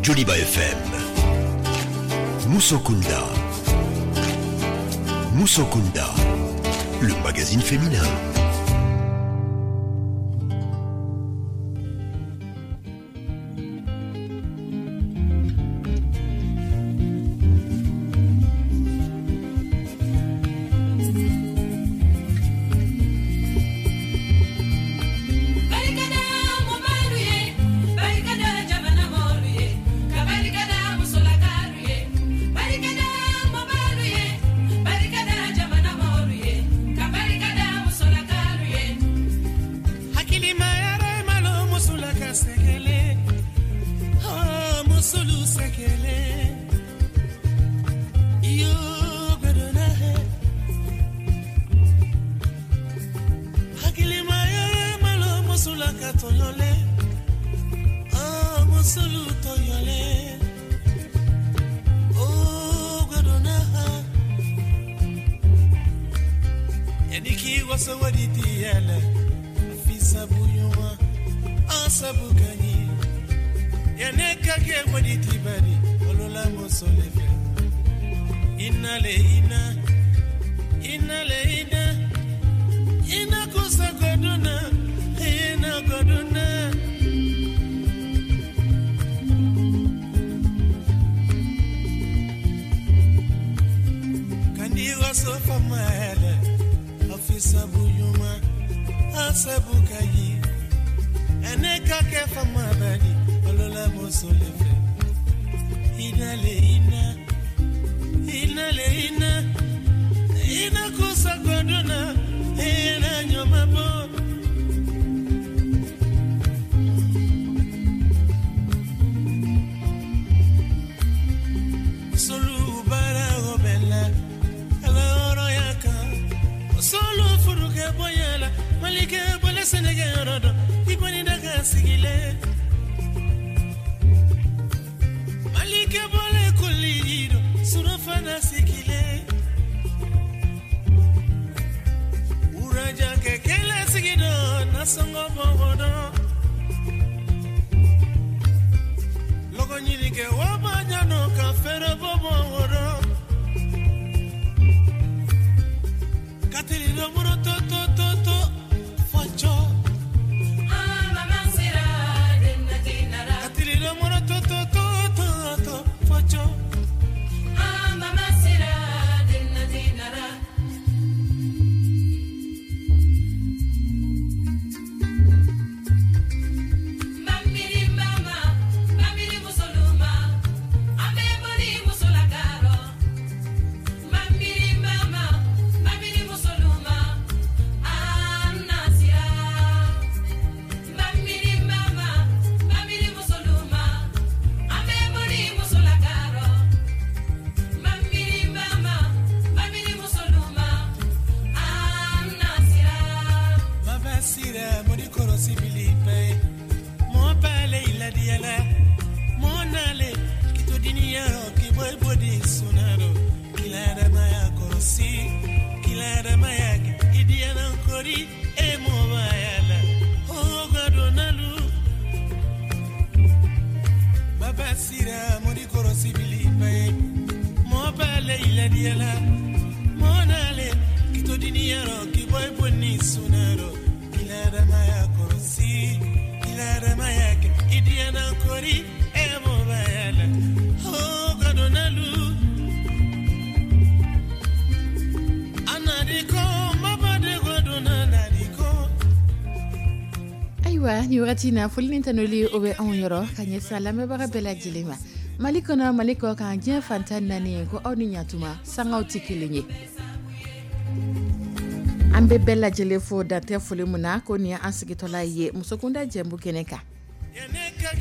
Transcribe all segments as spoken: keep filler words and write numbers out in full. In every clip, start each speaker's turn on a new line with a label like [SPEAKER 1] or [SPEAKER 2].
[SPEAKER 1] Joliba F M. Musokunda. Musokunda, le magazine féminin.
[SPEAKER 2] Ni wagati na, foli ni tanuli o bɛ anw yɔrɔ ka ɲɛsin lamɛnbaga bɛɛ lajɛlen ma, Mali kɔnɔ, Mali kɔ kan, diɲɛ fantan naani. Ko aw ni ɲatuma, sangaw tɛ kelen ye. An bɛ bɛɛ lajɛlen fo dantɛ foli mun na. Ko nin ye an sigitɔla ye Musokunda jɛmu kɛnɛ kan,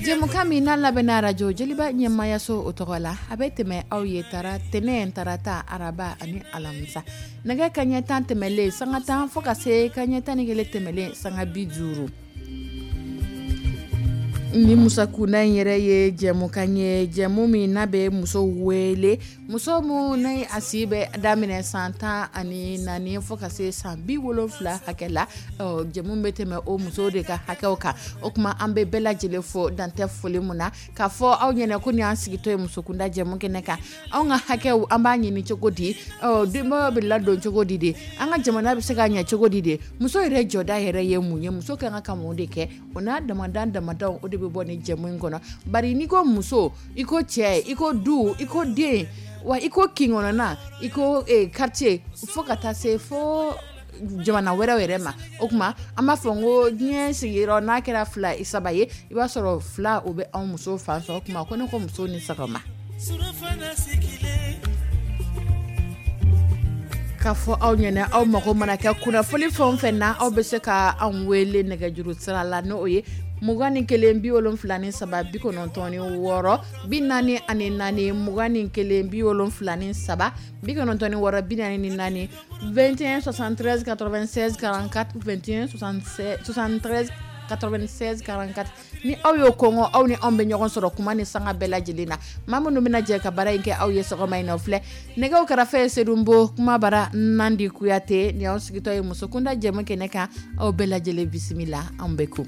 [SPEAKER 2] jɛmukan min n'a labɛnna Arajo Joliba ɲɛmayaso o tɔgɔ la. A bɛ tɛmɛ aw ye tara tɛnɛ, tarata, araba ani alamisa, nɛgɛ kaɲɛ tan tɛmɛlen sanga tan fo ka se kaɲɛ tan ni kelen tɛmɛlen sanga bi duuru. Ni Musokunda in yɛrɛ ye jɛmukan ye, jɛmu min n'a bɛ muso wele, muso min n'a a si bɛ daminɛ san tan ani naani fo ka se san bi wolonfila hakɛ la. Jɛmu bɛ tɛmɛ o muso de ka hakɛw kan. O tuma, an bɛ bɛɛ lajɛlen fo, dantɛ foli mun na k'a fɔ aw ɲɛna ko nin y'an sigitɔ ye Musokunda jɛmu kɛnɛ kan. Anw ka hakɛw, an b'a ɲini cogo di? Denbayaw bɛ ladon cogo di de? An ka jamana bɛ se ka ɲɛ cogo di de? Muso yɛrɛ jɔda yɛrɛ ye mun ye? Muso ka kan ka mun de kɛ? O n'a damadan damadaw, o de bɛ bɔ ni jɛmu in kɔnɔ. Bari n'i ko muso, i ko cɛ, i ko du, i ko den wa, i ko kin kɔnɔna, i ko quartier, fo ka taa se fo jamana wɛrɛw yɛrɛ ma. O tuma, an b'a fɔ n ko diɲɛ sigiyɔrɔ n'a kɛra fila saba ye, i b'a sɔrɔ fila, o bɛ anw muso fan fɛ. O tuma, ko ne ko muso ni sɔgɔma. K'a fɔ aw ɲɛna, aw mago mana kɛ kunnafoni fɛn o fɛn na, aw bɛ se ka anw wele nɛgɛjuru sira la, n'o ye mugan ni kelen bi wolonfila ni saba bi kɔnɔntɔn ni wɔɔrɔ bi naani ani naani, mugan ni kelen bi wolonfila ni saba bi kɔnɔntɔn ni wɔɔrɔ bi naani ni naani, vingt et un soixante-treize quatre-vingt-seize quarante-quatre, vingt et un soixante-treize quatre-vingt-seize quarante-quatre. Ni aw y'o kɔngɔ, aw ni anw bɛ ɲɔgɔn sɔrɔ kuma ni sanga bɛɛ lajɛlen na. Maa minnu bɛna jɛ ka baara in kɛ aw ye sɔgɔma in na, o filɛ: nɛgɛw kɛrɛfɛ ye Sedunbo, kuma bara Nandi Kuyate. Ni aw sigitɔ ye Musokunda jɛmu kɛnɛ kan, aw bɛɛ lajɛlen bisimila, anw bɛ ko.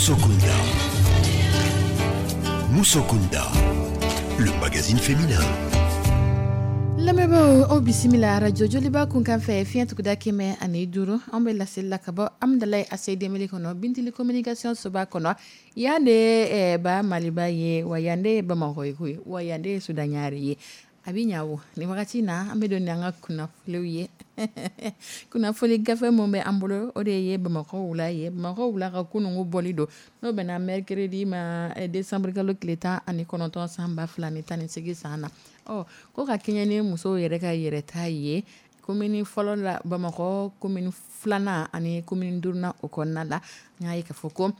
[SPEAKER 1] Musokunda. Musokunda, le magazine féminin.
[SPEAKER 2] Lamɛnbaaw, aw bisimila arajo Joliba kunkan fɛ, fiɲɛ tuguda kɛmɛ ani duuru. An bɛ laseli la ka bɔ Amudalayi A C D M kɔnɔ, Bintili communication soba kɔnɔ. Yan de ye ba Maliba ye, wa yan de ye Bamakɔ ye koyi, wa yan de ye Sudaɲare ye. A bɛ ɲa wo. Nin wagati na, an bɛ don ni an ka kunnafoniw ye. Kunnafoni gafe min bɛ an bolo, o de ye Bamakɔ wula ye. Bamakɔ wula ka kununko bɔli don, n'o bɛnna mercredi ma, décembre kalo tile tan ani kɔnɔntɔn, san ba fila ni tan ni seegin san na. Ɔ ko ka kɛɲɛ ni musow yɛrɛ ka yɛrɛta ye, commune fɔlɔ la, Bamakɔ commune filanan ani commune duurunan, o kɔnɔna la, n y'a ye k'a fɔ ko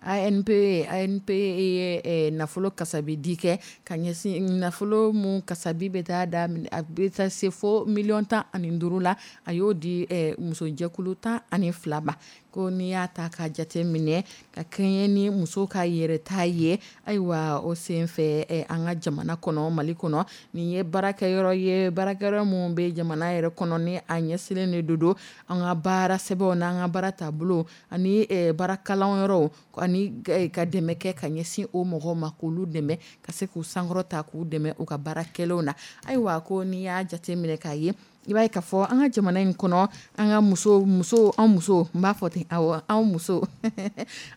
[SPEAKER 2] A N P A N P ye nafolo kasabi di kɛ ka ɲɛsin nafolo mun kasabi bɛ taa da a bɛ taa se fo miliyɔn tan ani duuru la. A y'o di musojɛkulu tan ani fila ma. Ko n'i y'a ta ka jate minɛ ka kɛɲɛ ni muso ka yɛrɛta ye, ayiwa, o senfɛ an ka jamana kɔnɔ, Mali kɔnɔ, nin ye baarakɛyɔrɔ ye, baarakɛyɔrɔ mun bɛ jamana yɛrɛ kɔnɔ, ni a ɲɛsinnen de don an ka baara sɛbɛnw n'an ka baara taabolo ani baara kalanyɔrɔw, ani ka dɛmɛ kɛ ka ɲɛsin o mɔgɔw ma, k'olu dɛmɛ ka se k'u sankɔrɔta, k'u dɛmɛ u ka baara kɛlenw na. Ayiwa, ko n'i y'a jate minɛ k'a ye, i b'a ye k'a fɔ an ka jamana in kɔnɔ, an ka muso muso an muso, n b'a fɔ ten, awɔ, an muso,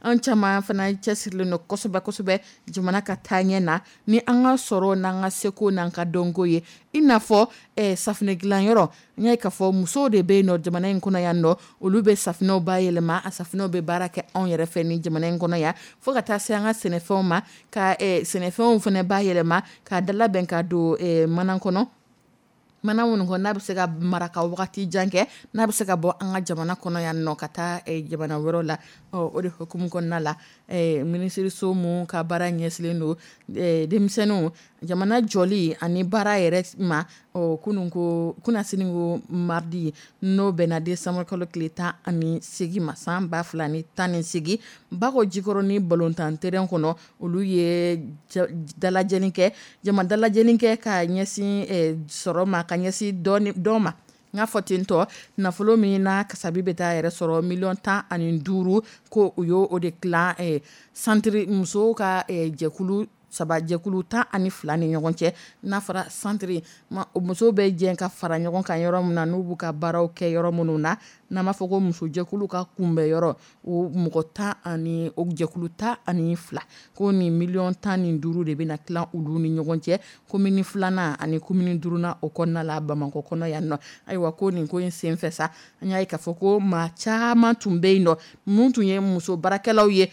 [SPEAKER 2] an caman fana cɛsirilen don kosɛbɛ kosɛbɛ jamana ka taaɲɛ na, ni an ka sɔrɔ n'an ka seko n'an ka dɔnko ye. I n'a fɔ safunɛ dilanyɔrɔ, n y'a ye k'a fɔ musow de bɛ yen nɔ jamana in kɔnɔ yan nɔ. Olu bɛ safunɛw bayɛlɛma, a safunɛw bɛ baara kɛ anw yɛrɛ fɛ ni jamana in kɔnɔ yan, fo ka taa se an ka sɛnɛfɛnw ma, ka sɛnɛfɛnw fana bayɛlɛma k'a dalabɛn ka don mana kɔnɔ, mana minnu kɔnɔ n'a bɛ se ka mara ka wagati jan kɛ, n'a bɛ se ka bɔ an ka jamana kɔnɔ yan nɔ ka taa jamana wɛrɛw la. Ɔ o de hukumu kɔnɔna la, minisiriso mun ka baara ɲɛsinnen don denmisɛnninw, jamana jɔli ani baara yɛrɛ ma, ɔ kunun ko kunnasini ko mardi, n'o bɛnna décembre kalo tile tan ani seegin ma, san ba fila ni tan ni seegin, Bako Jikɔrɔni balontan terrain kɔnɔ, olu ye dalajɛli kɛ, jama dalajɛli kɛ ka ɲɛsin sɔrɔ ma, ka ɲɛsin dɔ ma. N y'a fɔ ten tɔ, nafolo min n'a kasabi bɛ taa yɛrɛ sɔrɔ miliyɔn tan ani duuru, ko u y'o de tilan centre musow ka jɛkulu saba, jɛkulu tan ani fila ni ɲɔgɔn cɛ. N'a fɔra centre, musow bɛ jɛ ka fara ɲɔgɔn kan yɔrɔ min na, n'u b'u ka baaraw kɛ yɔrɔ minnu na, n'an b'a fɔ ko musojɛkulu ka kunbɛn yɔrɔ, o mɔgɔ tan ani o jɛkulu tan ani fila, ko nin miliyɔn tan ni duuru de bɛna tilan olu ni ɲɔgɔn cɛ, commune filanan ani commune duurunan o kɔnɔna la, Bamakɔ kɔnɔ yan nɔ. Ayiwa, ko nin ko in senfɛ sa, an y'a ye k'a fɔ ko maa caman tun bɛ yen nɔ mun tun ye muso baarakɛlaw ye.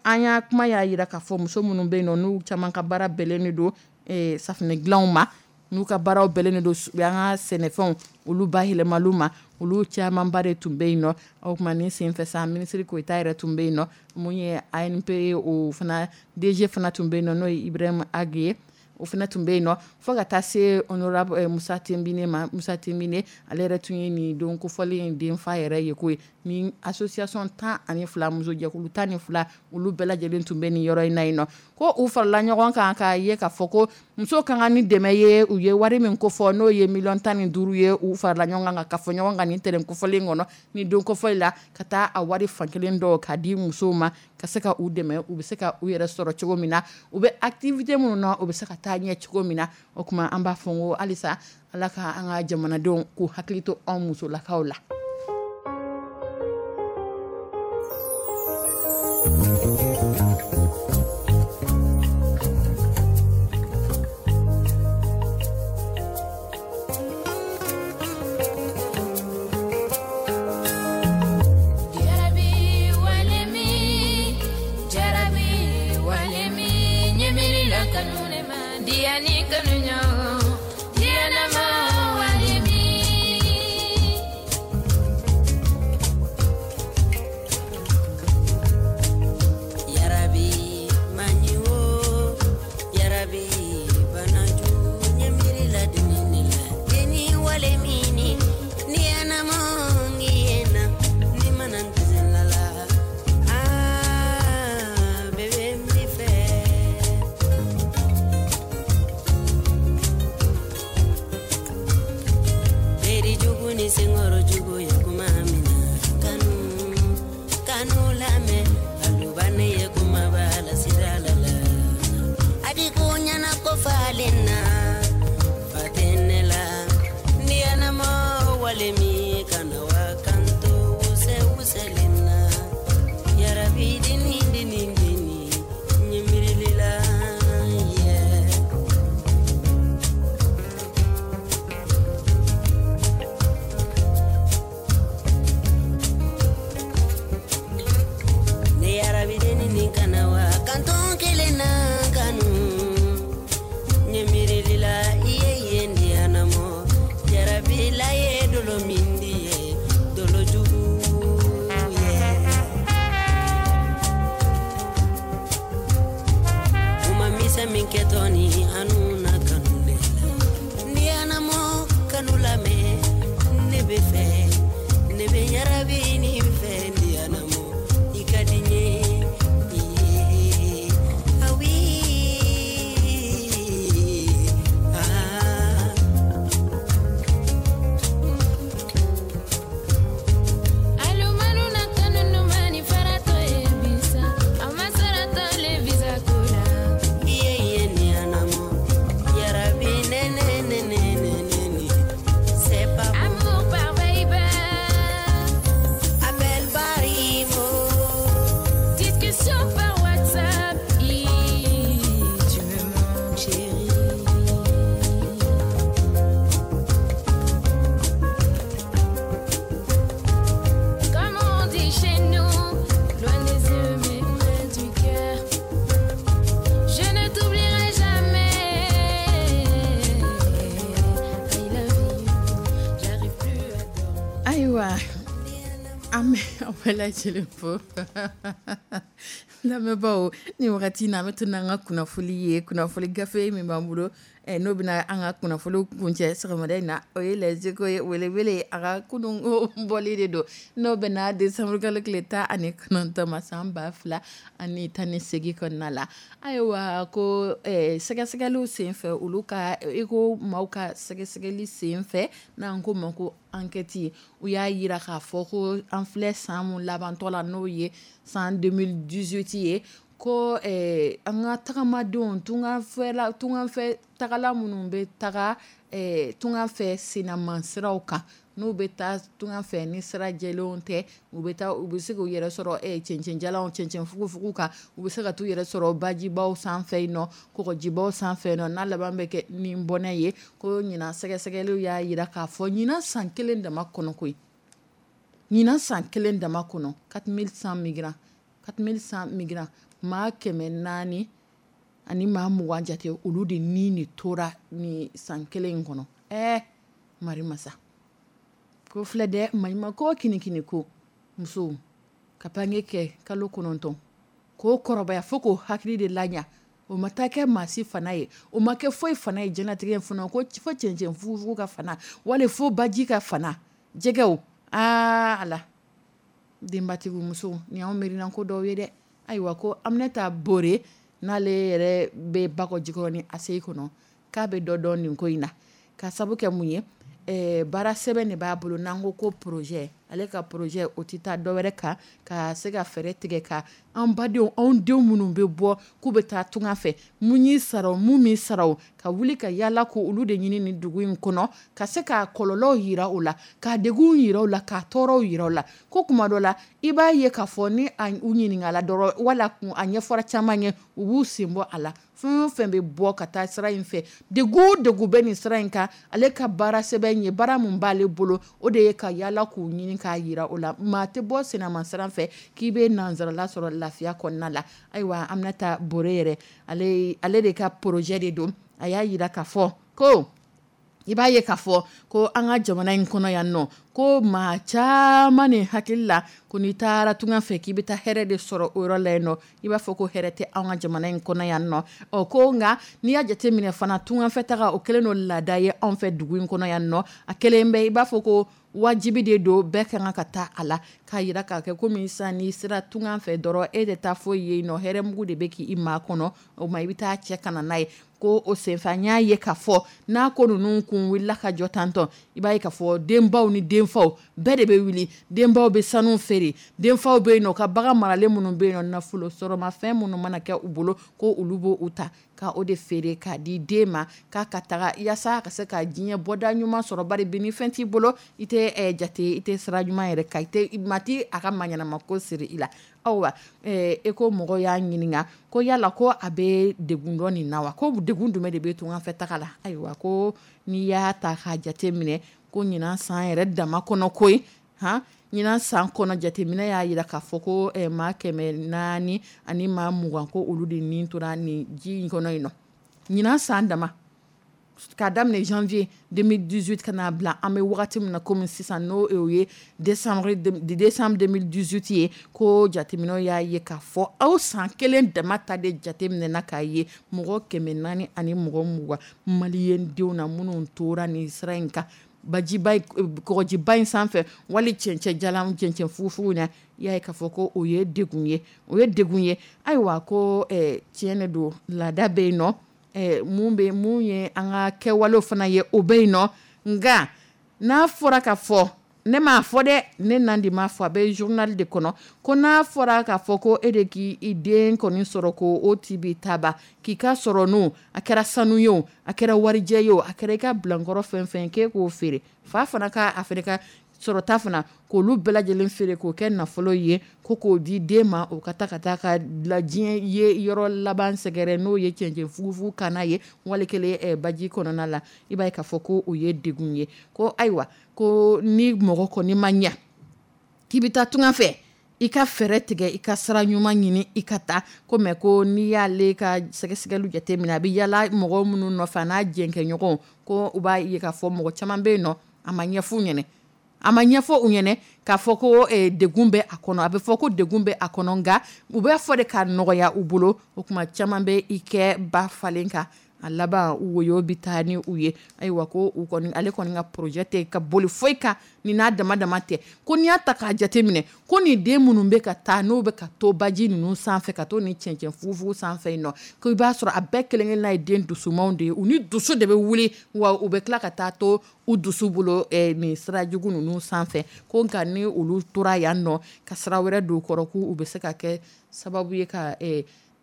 [SPEAKER 2] An y'a kuma y'a jira k'a fɔ muso minnu bɛ yen nɔ, n'u caman ka baara bɛnnen de don safunɛ dilanw ma, n'u ka baaraw bɛnnen don an ka sɛnɛfɛnw olu bayɛlɛmaliw ma, olu camanba de tun bɛ yen nɔ. O tuma ni senfɛ sa, minisiri Koyita yɛrɛ tun bɛ yen nɔ, mun ye A N P o fana D G fana tun bɛ yen nɔ, n'o ye Ibrahima Agi ye, o fana tun bɛ yen nɔ, fo ka taa se honorable Musa Tinbine ma. Musa Tinbine, ale yɛrɛ tun ye nin don kofɔlen in denfa yɛrɛ ye koyi. Ni association tan ani fila, musojɛkulu tan ni fila, olu bɛɛ lajɛlen tun bɛ nin yɔrɔ in na yen nɔ. Ko u farala ɲɔgɔn kan k'a ye k'a fɔ ko musow ka kan ni dɛmɛ ye. U ye wari min kofɔ, n'o ye miliyɔn tan ni duuru ye, u farala ɲɔgɔn kan ka fɔ ɲɔgɔn kan nin terrain kofɔlen kɔnɔ, ni don kofɔli la, ka taa a wari fankelen dɔw k'a di musow ma, ka se ka u dɛmɛ, u bɛ se ka u yɛrɛ sɔrɔ cogo min na, u bɛ activité minnu na, u bɛ se ka taa ɲɛ cogo min na. O tuma an b'a fɔ ko halisa Ala ka an ka jamanadenw k'u hakili to anw musolakaw la.
[SPEAKER 3] Senkɔrɔ jugu ye kuma min na, kanu kanu lamɛn, aluba ne ye.
[SPEAKER 2] Ayiwa, an bɛ aw bɛɛ lajɛlen fo, lamɛnbaaw. Ni wagati in na, an bɛ to n'an ka kunnafoni ye. Kunnafoni gafe min b'an bolo, n'o bɛna an ka kunnafoni kuncɛ sɔgɔmada in na, o ye Les Échos ye. Welewele a ka kunun bɔli de don, n'o bɛna décembre kalo tile tan ani kɔnɔntɔn ma, san ba fila ani tan ni seegin kɔnɔna la. Ayiwa, ko sɛgɛsɛgɛliw senfɛ, olu ka eko maaw ka sɛgɛsɛgɛli senfɛ, n'an ko ma ko enquête, u y'a yira k'a fɔ ko an filɛ san mun labantɔ la, n'o ye san deux mille dix-huit ye, ko an ka tagamadenw, tunganfɛla, tunganfɛ tagala minnu bɛ taga tunga fɛ sennamasiraw kan, n'u bɛ taa tunga fɛ ni sira jɛlenw tɛ, u bɛ taa, u bɛ se k'u yɛrɛ sɔrɔ cɛncɛnjalanw, cɛncɛn fugufugu kan, u bɛ se ka t'u yɛrɛ sɔrɔ bajibaw sanfɛ yen nɔ, kɔgɔjibaw sanfɛ nɔ, n'a laban bɛ kɛ ni bɔnɛ ye. Ko ɲinan, sɛgɛsɛgɛliw y'a jira k'a fɔ ɲinan san kelen dama kɔnɔ koyi, ɲinan san kelen dama kɔnɔ, quatre mille cent migrants, quatre mille cent migrants, maa kɛmɛ naani ani maa mugan jate, olu de ni de tora ni san kelen in kɔnɔ. Ɛɛ, mari masa ko filɛ dɛ, maɲuman ko kinikini ko musow ka bange kɛ kalo kɔnɔntɔn k'o kɔrɔbaya fo k'o hakili de laɲa, o ma taa kɛ maa si fana ye, o ma kɛ foyi fana ye diɲɛlatigɛ fana, ko fo cɛncɛn fugufugu ka fana, wali fo baji ka fana jɛgɛw. Aa ala, denbatigi musow, nin y'anw miirinan ko dɔw ye dɛ. Ayiwa, ko Aminata Bore, n'ale yɛrɛ bɛ Bakɔ Jikɔrɔni A C I kɔnɔ, k'a bɛ dɔ dɔn nin ko in na, ka sabu kɛ mun ye? Baara sɛbɛn de b'a bolo, n'an ko ko projet. Ale ka projet, o tɛ taa dɔwɛrɛ kan ka se ka fɛɛrɛ tigɛ ka an badenw, anw denw minnu bɛ bɔ k'u bɛ taa tunga fɛ, mun y'i sara, mun m'i sara, ka wuli ka yaala ko olu de ɲini nin dugu in kɔnɔ, ka se k'a kɔlɔlɔw yira u la, k'a degun yira u la, k'a tɔɔrɔw yira u la. Ko kuma dɔ la, i b'a ye k'a fɔ ni a u ɲininkala dɔrɔn, wala kun a ɲɛfɔra caman ye, u b'u sen bɔ a la. Fɛn o fɛn bɛ bɔ ka taa sira in fɛ, degun o degun bɛ nin sira in kan, ale ka baara sɛbɛn ye, baara mun b'ale bolo, o de ye ka yaala k'u ɲini k'a yira o la. Maa tɛ bɔ senama sira fɛ k'i bɛ nanzarala sɔrɔ lafiya kɔnɔna la. Ayiwa, Aminata Bore yɛrɛ, ale ale de ka projet de don. A y'a yira k'a fɔ ko i b'a ye k'a fɔ ko an ka jamana in kɔnɔ yan nɔ, ko maa caman ni hakili la ko n'i taara tunga fɛ, k'i bɛ taa hɛrɛ de sɔrɔ o yɔrɔ la yen nɔ. I b'a fɔ ko hɛrɛ tɛ anw ka jamana in kɔnɔ yan nɔ. Ɔ, ko nka n'i y'a jateminɛ fana, tungafɛ taga, o kɛlen don laada ye anw fɛ dugu in kɔnɔ yan nɔ. A kɛlen bɛ i b'a fɔ ko wajibi de don, bɛɛ ka kan ka taa a la, k'a yira k'a kɛ komi sisan n'i sera tunga fɛ dɔrɔn, e de taa foyi ye yen nɔ, hɛrɛmugu de bɛ k'i maa kɔnɔ, o ma i bɛ taa cɛ ka na n'a ye. Ko o senfɛ, an y'a ye k'a fɔ n'a ko ninnu kun wulila ka jɔ tantɔ, i b'a ye k'a fɔ denbaw ni denfaw bɛɛ de bɛ wuli. Denbaw bɛ sanu feere, denfaw bɛ yen nɔ, ka bagan maralen minnu bɛ yen nɔ, nafolo sɔrɔmafɛn minnu mana kɛ u bolo, ko olu b'o ta ka o de feere k'a di den ma, k'a ka taga yaasa ka se ka diɲɛ bɔda ɲuman sɔrɔ. Bari bi, ni fɛn t'i bolo, i tɛ jate, i tɛ sira ɲuman yɛrɛ kan, i tɛ maa t'i a ka maa ɲɛnama ko siri i la. Ayiwa, e ko mɔgɔw y'a ɲininka ko yala ko a bɛ degun dɔ nin na wa? Ko degun jumɛn de bɛ tunga fɛ taga la? Ayiwa, ko n'i y'a ta k'a jate minɛ, ko ɲinan san yɛrɛ dama kɔnɔ koyi, han, ɲinan san kɔnɔ, jateminɛ y'a jira k'a fɔ ko maa kɛmɛ naani ani maa mugan, ko olu de nin tora nin ji in kɔnɔ yen nɔ ɲinan san dama, k'a daminɛ janvier deux mille dix-huit ka n'a bila an bɛ wagati min na komi sisan, n'o ye décembre décembre deux mille dix-huit ye. Ko jateminɛw y'a ye k'a fɔ aw san kelen dama ta de jateminɛna k'a ye mɔgɔ kɛmɛ naani ani mɔgɔ mugan maliyɛn denw na minnu tora nin sira in kan, bajiba, kɔgɔjiba in sanfɛ, wali cɛncɛn jalan, cɛncɛn fugufugu na. I y'a ye k'a fɔ ko o ye degun ye, o ye degun ye. Ayiwa, ko tiɲɛ de don, laada bɛ yen nɔ, mun bɛ mun ye an ka kɛwalew fana ye, o bɛ yen nɔ. Nka n'a fɔra ka fɔ, ne m'a fɔ dɛ, ne Nandi m'a fɔ, a bɛ journal de kɔnɔ, ko n'a fɔra k'a fɔ ko e de k'i den kɔni sɔrɔ, ko o ti bi taba k'i ka sɔrɔ, n'o a kɛra sanu ye, o a kɛra warijɛ ye, o a kɛra i ka bilankɔrɔ fɛn fɛn, k'e k'o feere, fa fana ka a fana ka sɔrɔta fana, k'olu bɛɛ lajɛlen feere k'o kɛ nafolo ye, ko k'o di den ma, o ka taa ka taa ka la diɲɛ ye yɔrɔ laban sɛgɛrɛ, n'o ye cɛncɛn fugufugu kana ye, wali kelen baji kɔnɔna la, i b'a ye k'a fɔ ko o ye degun ye. Ko ayiwa, ko ni mɔgɔ kɔni ma ɲa k'i bɛ taa tunga fɛ, i ka fɛɛrɛ tigɛ, i ka sira ɲuman ɲini, i ka taa ko mɛ. Ko n'i y'ale ka sɛgɛsɛgɛliw jateminɛ, a bɛ yala mɔgɔ minnu nɔfɛ, a n'a jɛnkɛɲɔgɔnw, ko u b'a ye k'a fɔ mɔgɔ caman bɛ yen nɔ, a ma ɲɛf'u ɲɛna. A ma ɲɛfɔ u ɲɛna k'a fɔ ko degun bɛ a kɔnɔ, a bɛ fɔ ko degun bɛ a kɔnɔ, nka u bɛ fɔ de ka nɔgɔya u bolo. O tuma caman bɛ i kɛ ba falen kan, a laban woyo bɛ taa ni u ye. Ayiwa, ko u kɔni, ale kɔni ka projet tɛ ka boli foyi kan ni n'a dama dama tɛ. Ko n'i y'a ta k'a jate minɛ, ko nin den minnu bɛ ka taa, n'u bɛ ka to baji ninnu sanfɛ, ka to ni cɛncɛn fugufugu sanfɛ yen nɔ, ko i b'a sɔrɔ a bɛɛ kelen-kelenna ye den dusumanw de ye. U ni dusu de bɛ wuli, wa u bɛ tila ka taa to u dusu bolo nin sira jugu ninnu sanfɛ. Ko nka ni olu tora yan nɔ ka sira wɛrɛ don kɔrɔ, k'u bɛ se ka kɛ sababu ye ka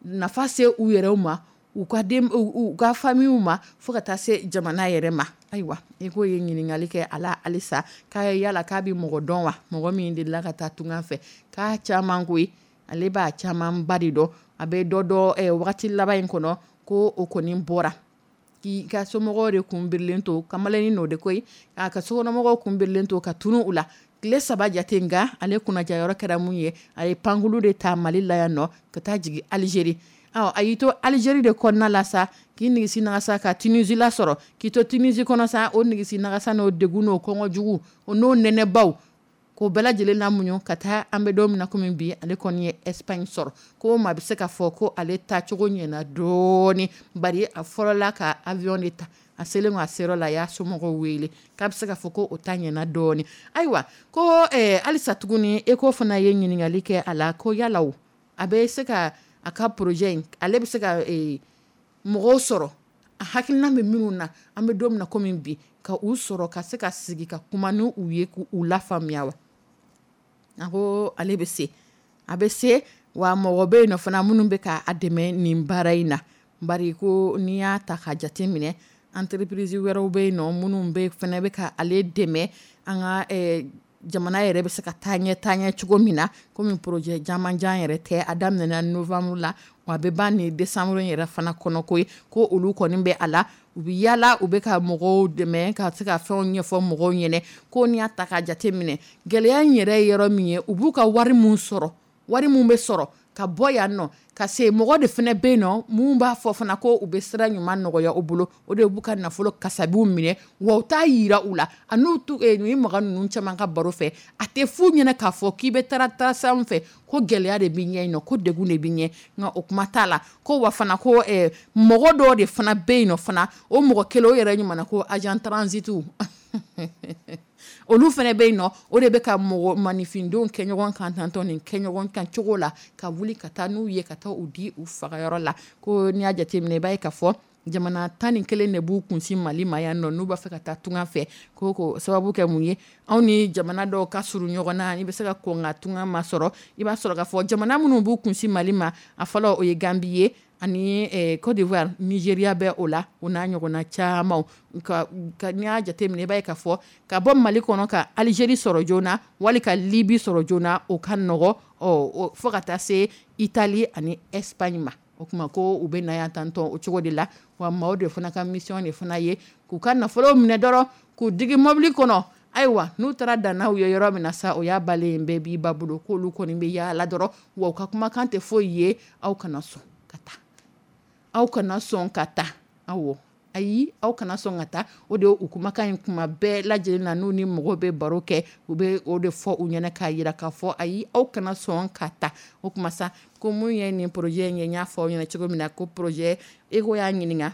[SPEAKER 2] nafa se u yɛrɛw ma, u ka den, u ka famillew ma, fo ka taa se jamana yɛrɛ ma. Ayiwa, i ko ye ɲininkali kɛ a la halisa, k'a yala k'a bɛ mɔgɔ dɔn wa, mɔgɔ min delila ka taa tunga fɛ? K'a caman koyi, ale b'a camanba de dɔn. A bɛ dɔ dɔn wagati laban in kɔnɔ, ko o kɔni bɔra k'i ka somɔgɔw de kun birilen to, kamalennin n'o de koyi, k'a ka sokɔnɔmɔgɔw kun birilen to ka tunu u la tile saba jate. Nka ale kunnajayɔrɔ kɛra mun ye? A ye pankulu de ta Mali la yan nɔ ka taa jigin Algérie. A y'i to Algérie de kɔnɔna la sa, k'i nigisi nagasa ka Tunisie la sɔrɔ, k'i to Tunisie kɔnɔ sa, o nigisi nagasa n'o degun n'o kɔngɔ jugu o n'o nɛnɛbaw, k'o bɛɛ lajɛlen lamuɲu ka taa. An bɛ don min na komi bi, ale kɔni ye Espagne sɔrɔ. Ko maa bɛ se k'a fɔ ko ale taacogo ɲɛna dɔɔni, bari a fɔlɔla ka avion de ta. A selen a seyɔrɔ la, a y'a somɔgɔw wele, k'a bɛ se k'a fɔ ko o ta ɲɛna dɔɔni. Ayiwa, ko halisa tuguni, ECHO fana ye ɲininkali kɛ a la, ko yala o a bɛ se ka a ka projet in, ale bɛ se ka mɔgɔw sɔrɔ, a hakilina bɛ minnu na, an bɛ don min na komi bi, ka u sɔrɔ ka se ka sigi ka kuma n'u ye k'u lafaamuya wa? A ko ale bɛ se, a bɛ se wa mɔgɔ bɛ yen nɔ fana minnu bɛ k'a dɛmɛ nin baara in na. Bari ko n'i y'a ta ka jate minɛ, entreprise wɛrɛw bɛ yen nɔ minnu bɛ fana bɛ ka ale dɛmɛ, an ka jamana yɛrɛ bɛ se ka taa ɲɛ taa ɲɛ cogo min na. Komi projet jamanjan yɛrɛ tɛ, a daminɛna novembre la, wa a bɛ ban nin décembre yɛrɛ fana kɔnɔ koyi. Ko olu kɔni bɛ a la, u bɛ yaala, u bɛ ka mɔgɔw dɛmɛ ka se ka fɛnw ɲɛfɔ mɔgɔw ɲɛna. Ko n'i y'a ta k'a jate minɛ, gɛlɛya in yɛrɛ ye yɔrɔ min ye, u b'u ka wari min sɔrɔ, wari min bɛ sɔrɔ ka bɔ yan nɔ ka se, mɔgɔ de fana bɛ yen nɔ mun b'a fɔ fana ko u bɛ sira ɲuman nɔgɔya u bolo, o de b'u ka nafolo kasabiw minɛ, wa u t'a yira u la. A n'u ni maga ninnu caman ka baro fɛ, a tɛ f'u ɲɛna k'a fɔ k'i bɛ taara taara sira min fɛ, ko gɛlɛya de bɛ ɲɛ yen nɔ, ko degun de bɛ ɲɛ, nka o kuma t'a la. Ko wa fana ko mɔgɔ dɔw de fana bɛ yen nɔ fana, o mɔgɔ kelen o yɛrɛ ɲuman ko agent transit olu fana bɛ yen nɔ, o de bɛ ka mɔgɔ maninfindenw kɛ ɲɔgɔn kan tantɔ nin kɛ ɲɔgɔn kan cogo la, ka wuli ka taa n'u ye, ka taa u di u fagayɔrɔ la. Ko n'i y'a jateminɛ, i b'a ye k'a fɔ jamana tan ni kelen de b'u kunsin Mali ma yan nɔ, n'u b'a fɛ ka taa tunga fɛ. Ko ko sababu kɛ mun ye? Anw ni jamana dɔw ka surun ɲɔgɔn na, i bɛ se ka kɔn ka tunga ma sɔrɔ. I b'a sɔrɔ k'a fɔ jamana minnu b'u kunsin Mali ma, a fɔlɔ o ye Gambie ye, ani Côte d'Ivoire, Nigéria bɛ o la, o n'a ɲɔgɔnna caman. N'i y'a jateminɛ, i b'a ye k'a fɔ ka bɔ Mali kɔnɔ ka Algérie sɔrɔ joona, wali ka Libye sɔrɔ joona, o ka nɔgɔ, fo ka taa se Italie ani Espagne ma. O tuma ko u bɛ na yan tantɔ o cogo de la. Wa maaw de fana ka mission de fana ye k'u ka nafolo minɛ dɔrɔn k'u digi mobili kɔnɔ. Ayiwa, n'u taara dan n'aw ye yɔrɔ min na sa, o y'a balen bɛɛ b'i ba bolo, k'olu kɔni bɛ yaala dɔrɔn, wa u ka kumakan tɛ foyi ye, aw kana sɔn ka taa, aw kana sɔn ka taa, awɔ, ayi, aw kana sɔn ka taa. O de u kumakan in kuma bɛɛ lajɛlen na, n'u ni mɔgɔw bɛ baro kɛ, u bɛ o de fɔ u ɲɛna k'a jira k'a fɔ ayi, aw kana sɔn ka taa. O kuma sa, ko mun ye nin projet in ye, n y'a fɔ aw ɲɛna cogo min na, ko projet ECHO y'a ɲininka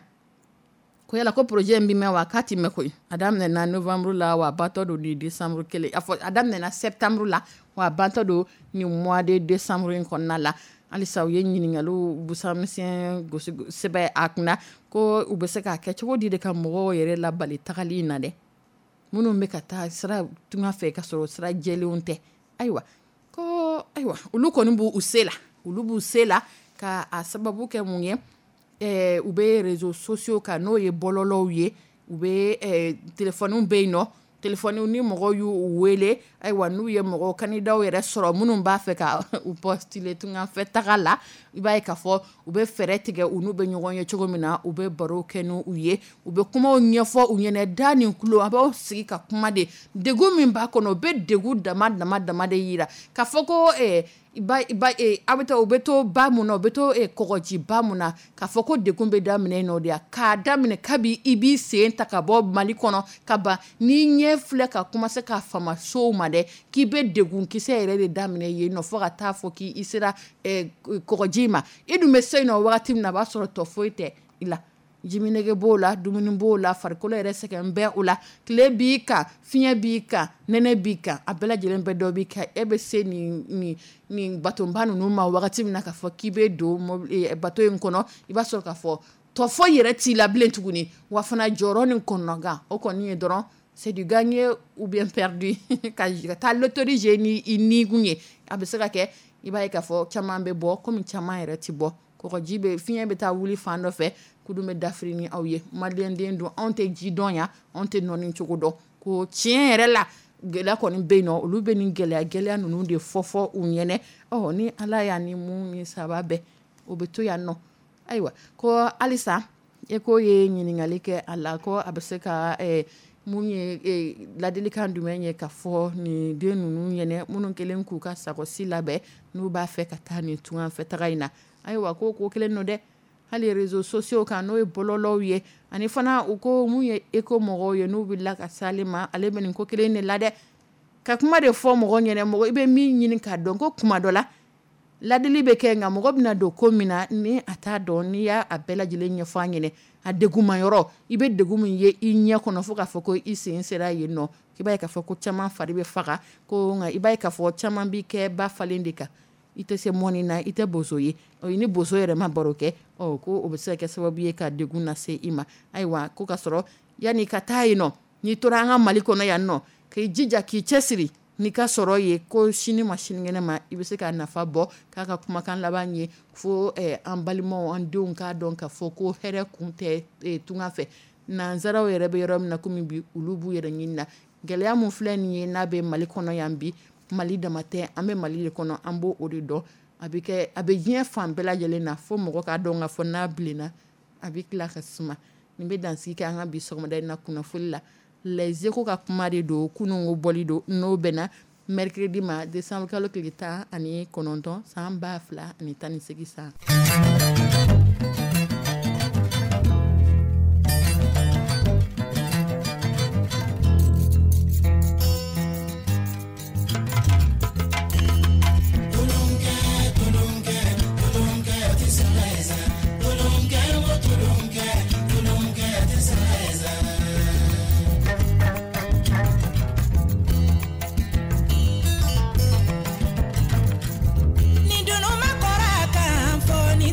[SPEAKER 2] ko yala ko projet in bɛ mɛn wa? K'a ti mɛn koyi. A daminɛna novembre la, wa a bantɔ don ni décembre kelen, a fɔ a daminɛna septembre la, wa a bantɔ don nin mois de décembre in kɔnɔna la. Halisa u ye ɲininkaliw busamisɛn gosi sɛbɛn a kunna, ko u bɛ se k'a kɛ cogo di de ka mɔgɔw yɛrɛ labali tagali in na dɛ, minnu bɛ ka taa sira tunga fɛ ka sɔrɔ sira jɛlenw tɛ. Ayiwa, ko ayiwa, olu kɔni b'u se la, olu b'u se la ka a sababu kɛ mun ye? U bɛ réseaux sociaux kan, n'o ye bɔlɔlɔw ye, u bɛ téléphone bɛ yen nɔ, téléphone ni mɔgɔw y'u wele. Ayiwa, n'u ye mɔgɔ candidatw yɛrɛ sɔrɔ minnu b'a fɛ ka u postuler tungafɛ taga la, i b'a ye k'a fɔ u bɛ fɛɛrɛ tigɛ u n'u bɛ ɲɔgɔn ye cogo min na, u bɛ baro kɛ n'u ye, u bɛ kumaw ɲɛfɔ u ɲɛna da ni tulo, a b'aw sigi ka kuma de degun min b'a kɔnɔ, u bɛ degun dama dama dama de yira k'a fɔ ko Ba ba a bɛ taa u bɛ to ba mun na, u bɛ to kɔgɔji ba mun na, k'a fɔ ko degun bɛ daminɛ yen nɔ de, k'a daminɛ kabi i b'i sen ta ka bɔ Mali kɔnɔ ka ban, n'i ɲɛ filɛ ka commencer ka fama sow ma dɛ, k'i bɛ degun kisɛ yɛrɛ de daminɛ yen nɔ fo ka taa fɔ k'i sera kɔgɔji ma. I dun bɛ se yen nɔ wagati min na, a b'a sɔrɔ tɔ foyi tɛ i la, jiminɛge b'o la, dumuni b'o la, farikolo yɛrɛ sɛgɛn bɛɛ o la, tile b'i kan, fiɲɛ b'i kan, nɛnɛ b'i kan, a bɛɛ lajɛlen bɛ dɔ b'i kan. E bɛ se nin nin nin batonba ninnu ma wagati min na, k'a fɔ k'i bɛ don bato in kɔnɔ, i b'a sɔrɔ k'a fɔ tɔ foyi yɛrɛ t'i la bilen tuguni. Wa fana jɔyɔrɔ ni kɔnɔgan o kɔni ye dɔrɔn c'est du gagné ou bien perdu, ka taa loterie jouer ni i nikun ye. A bɛ se ka kɛ i b'a ye k'a fɔ caman bɛ bɔ, komi caman yɛrɛ tɛ bɔ. Kɔgɔji bɛ fiɲɛ bɛ taa wuli fan dɔ fɛ, kudun bɛ dafiri ni aw ye. Maliyɛnden don, anw tɛ ji dɔn yan, anw tɛ nɔni cogo dɔn. Ko tiɲɛ yɛrɛ la, gɛlɛya kɔni bɛ yen nɔ, olu bɛ nin gɛlɛya gɛlɛya ninnu de fɔ fɔ u ɲɛnɛ. Ɔ ni Ala y'a ni mun ni saba bɛɛ, o bɛ to yan nɔ. Ayiwa, ko halisa e ko ye ɲininkali kɛ a la, ko a bɛ se ka mun ye ladilikan jumɛn ye ka fɔ nin den ninnu ɲɛnɛ, minnu kɛlen k'u ka sakosi labɛn n'u b'a fɛ ka taa nin tunganfɛ taga in na. Ayiwa, ko ko kelen don dɛ, hali réseaux sociaux kan, n'o ye bɔlɔlɔw ye, ani fana u ko mun ye éco mɔgɔw ye, n'u wulila ka s'ale ma, ale bɛ nin ko kelen de la dɛ, ka kuma de fɔ mɔgɔ ɲɛnɛ, mɔgɔ i bɛ min ɲini k'a dɔn. Ko kuma dɔ la ladili bɛ kɛ, nka mɔgɔ bɛna don ko min na ni a t'a dɔn, n'i y'a bɛɛ lajɛlen ɲɛfɔ a ɲɛnɛ, a degunma yɔrɔ, i bɛ degun min ye i ɲɛ kɔnɔ fo k'a fɔ ko i sen sera yen nɔ, i b'a ye k'a fɔ ko caman fari bɛ faga, ko nka i b'a ye k'a fɔ caman b'i kɛ ba falen de kan, i tɛ se mɔni na, i tɛ boso ye, ni boso yɛrɛ ma baro kɛ, ɔ ko o bɛ se ka kɛ sababu ye ka degun lase i ma. Ayiwa, ko ka sɔrɔ yanni ka taa yen nɔ, n'i tora an ka Mali kɔnɔ yan nɔ, k'i jija k'i cɛsiri n'i ka sɔrɔ ye, ko sini ma sinikɛnɛ ma i bɛ se ka nafa bɔ. K'a ka kumakan laban ye fo an balimaw, an denw k'a dɔn k'a fɔ ko hɛrɛ kun tɛ tunga fɛ. Nanzaraw yɛrɛ bɛ yɔrɔ min na komi bi, olu b'u yɛrɛ ɲini na. Gɛlɛya mun filɛ nin ye n'a bɛ Mali kɔnɔ yan bi, Mali dama tɛ, an bɛ Mali de kɔnɔ, an b'o o de dɔn. A bɛ kɛ, a bɛ diɲɛ fan bɛɛ lajɛlen na, fo mɔgɔ k'a dɔn k'a fɔ n'a bilenna a bɛ tila ka suma. Nin bɛ dansigi kɛ an ka bi sɔgɔmada in na kunnafoni la. Les Échos ka kuma de don, kununko bɔli don, n'o bɛnna mercredi ma, décembre kalo tile tan ani kɔnɔntɔn san ba fila ani tan ni seegin san.
[SPEAKER 3] Ni dunun ma kɔrɔ kan fɔ ni